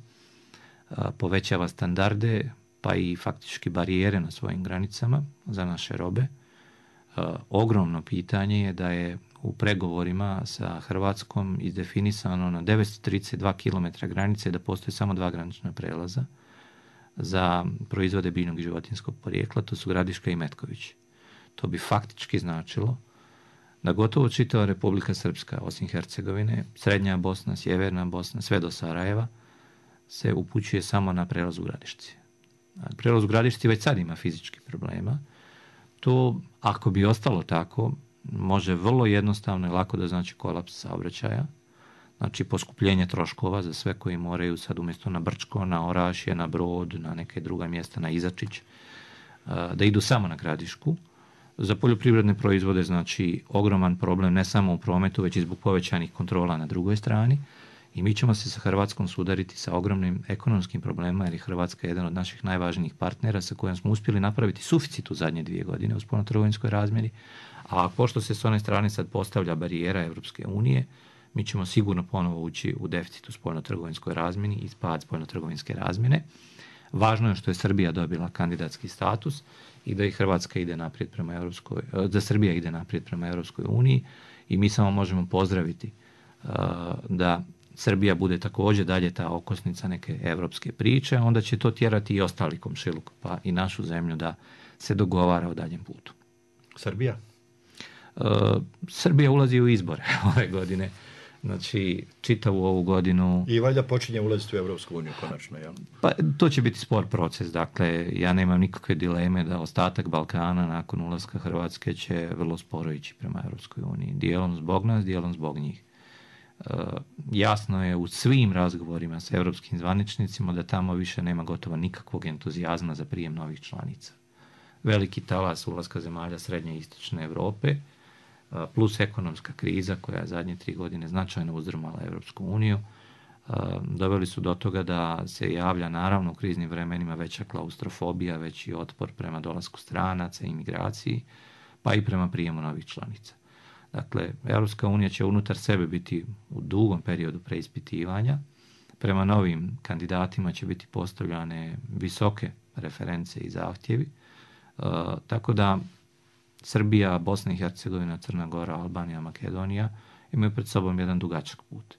povećava standarde, pa i faktički barijere na svojim granicama za naše robe. Ogromno pitanje je da je u pregovorima sa Hrvatskom izdefinisano na 932 km granice da postoje samo 2 granična prelaza za proizvode biljnog i životinjskog porijekla, to su Gradiška i Metković. To bi faktički značilo da gotovo čitava Republika Srpska, osim Hercegovine, Srednja Bosna, Sjeverna Bosna, sve do Sarajeva, se upućuje samo na prelaz u Gradišci. Prelaz u Gradišci već sad ima fizičkih problema. To, ako bi ostalo tako, može vrlo jednostavno i lako da znači kolaps saobraćaja, znači poskupljenje troškova za sve koji moraju sad umjesto na Brčko, na Orašje, na Brod, na neke druga mjesta, na Izačić, da idu samo na Gradišku. Za poljoprivredne proizvode znači ogroman problem ne samo u prometu, već i zbog povećanih kontrola na drugoj strani. I mi ćemo se sa Hrvatskom sudariti sa ogromnim ekonomskim problemima, jer je Hrvatska jedan od naših najvažnijih partnera sa kojim smo uspjeli napraviti suficit u zadnje 2 godine u spoljnotrgovinskoj razmjeri. A pošto se s one strane sad postavlja barijera Evropske unije, mi ćemo sigurno ponovo ući u deficit u spoljnotrgovinskoj razmjeni i pad spoljnotrgovinske razmjene. Važno je što je Srbija dobila kandidatski status i da i Hrvatska ide naprijed prema da Srbija ide naprijed prema Evropskoj uniji i mi samo možemo pozdraviti da Srbija bude također dalje ta okosnica neke evropske priče, onda će to tjerati i ostali komšiluk, pa i našu zemlju da se dogovara o daljem putu. Srbija? Srbija ulazi u izbore ove godine. Znači, čitavu ovu godinu... I valjda počinje ulaziti u Evropsku uniju, konačno, jel? Pa, to će biti spor proces. Dakle, ja nemam nikakve dileme da ostatak Balkana nakon ulaska Hrvatske će vrlo sporo ići prema Evropskoj uniji. Dijelom zbog nas, dijelom zbog njih. Jasno je u svim razgovorima s evropskim zvaničnicima da tamo više nema gotovo nikakvog entuzijazma za prijem novih članica. Veliki talas ulaska zemalja Srednje i Istočne Europe plus ekonomska kriza koja je zadnje 3 godine značajno uzdrmala Europsku uniju, doveli su do toga da se javlja naravno u kriznim vremenima veća klaustrofobija, veći otpor prema dolasku stranaca, imigraciji, pa i prema prijemu novih članica. Dakle, Europska unija će unutar sebe biti u dugom periodu preispitivanja, prema novim kandidatima će biti postavljane visoke reference i zahtjevi, tako da Srbija, Bosna i Hercegovina, Crna Gora, Albanija, Makedonija imaju pred sobom jedan dugačak put.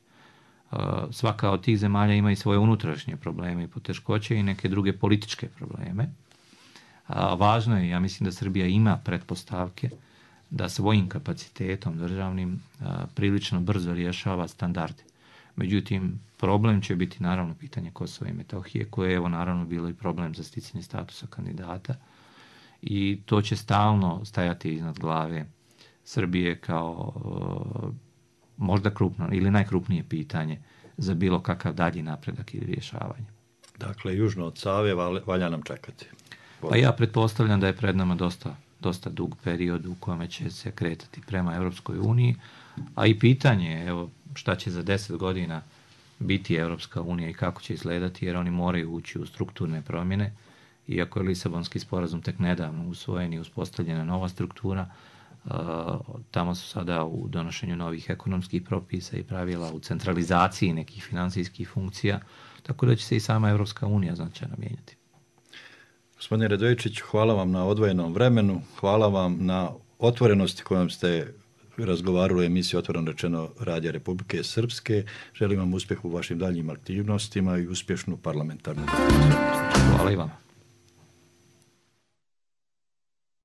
Svaka od tih zemalja ima i svoje unutrašnje probleme i poteškoće i neke druge političke probleme. Važno je, ja mislim da Srbija ima pretpostavke da svojim kapacitetom državnim prilično brzo rješava standarde. Međutim, problem će biti naravno pitanje Kosova i Metohije, koje je evo naravno bilo i problem za sticanje statusa kandidata i to će stalno stajati iznad glave Srbije kao možda krupno ili najkrupnije pitanje za bilo kakav dalji napredak ili rješavanje. Dakle, južno od Save valja nam čekati. Pa ja pretpostavljam da je pred nama dosta dug period u kome će se kretati prema Europskoj uniji, a i pitanje evo šta će za 10 godina biti Europska unija i kako će izgledati, jer oni moraju ući u strukturne promjene. Iako je Lisabonski sporazum tek nedavno usvojen i uspostavljena nova struktura, tamo su sada u donošenju novih ekonomskih propisa i pravila, u centralizaciji nekih financijskih funkcija, tako da će se i sama Europska unija značajno mijenjati. Gospodine Radojičić, hvala vam na odvojenom vremenu, hvala vam na otvorenosti kojom ste razgovarali o emisiji Otvoreno rečeno Radija Republike Srpske. Želim vam uspjeh u vašim daljnjim aktivnostima i uspješnu parlamentarnu. Hvala i vama.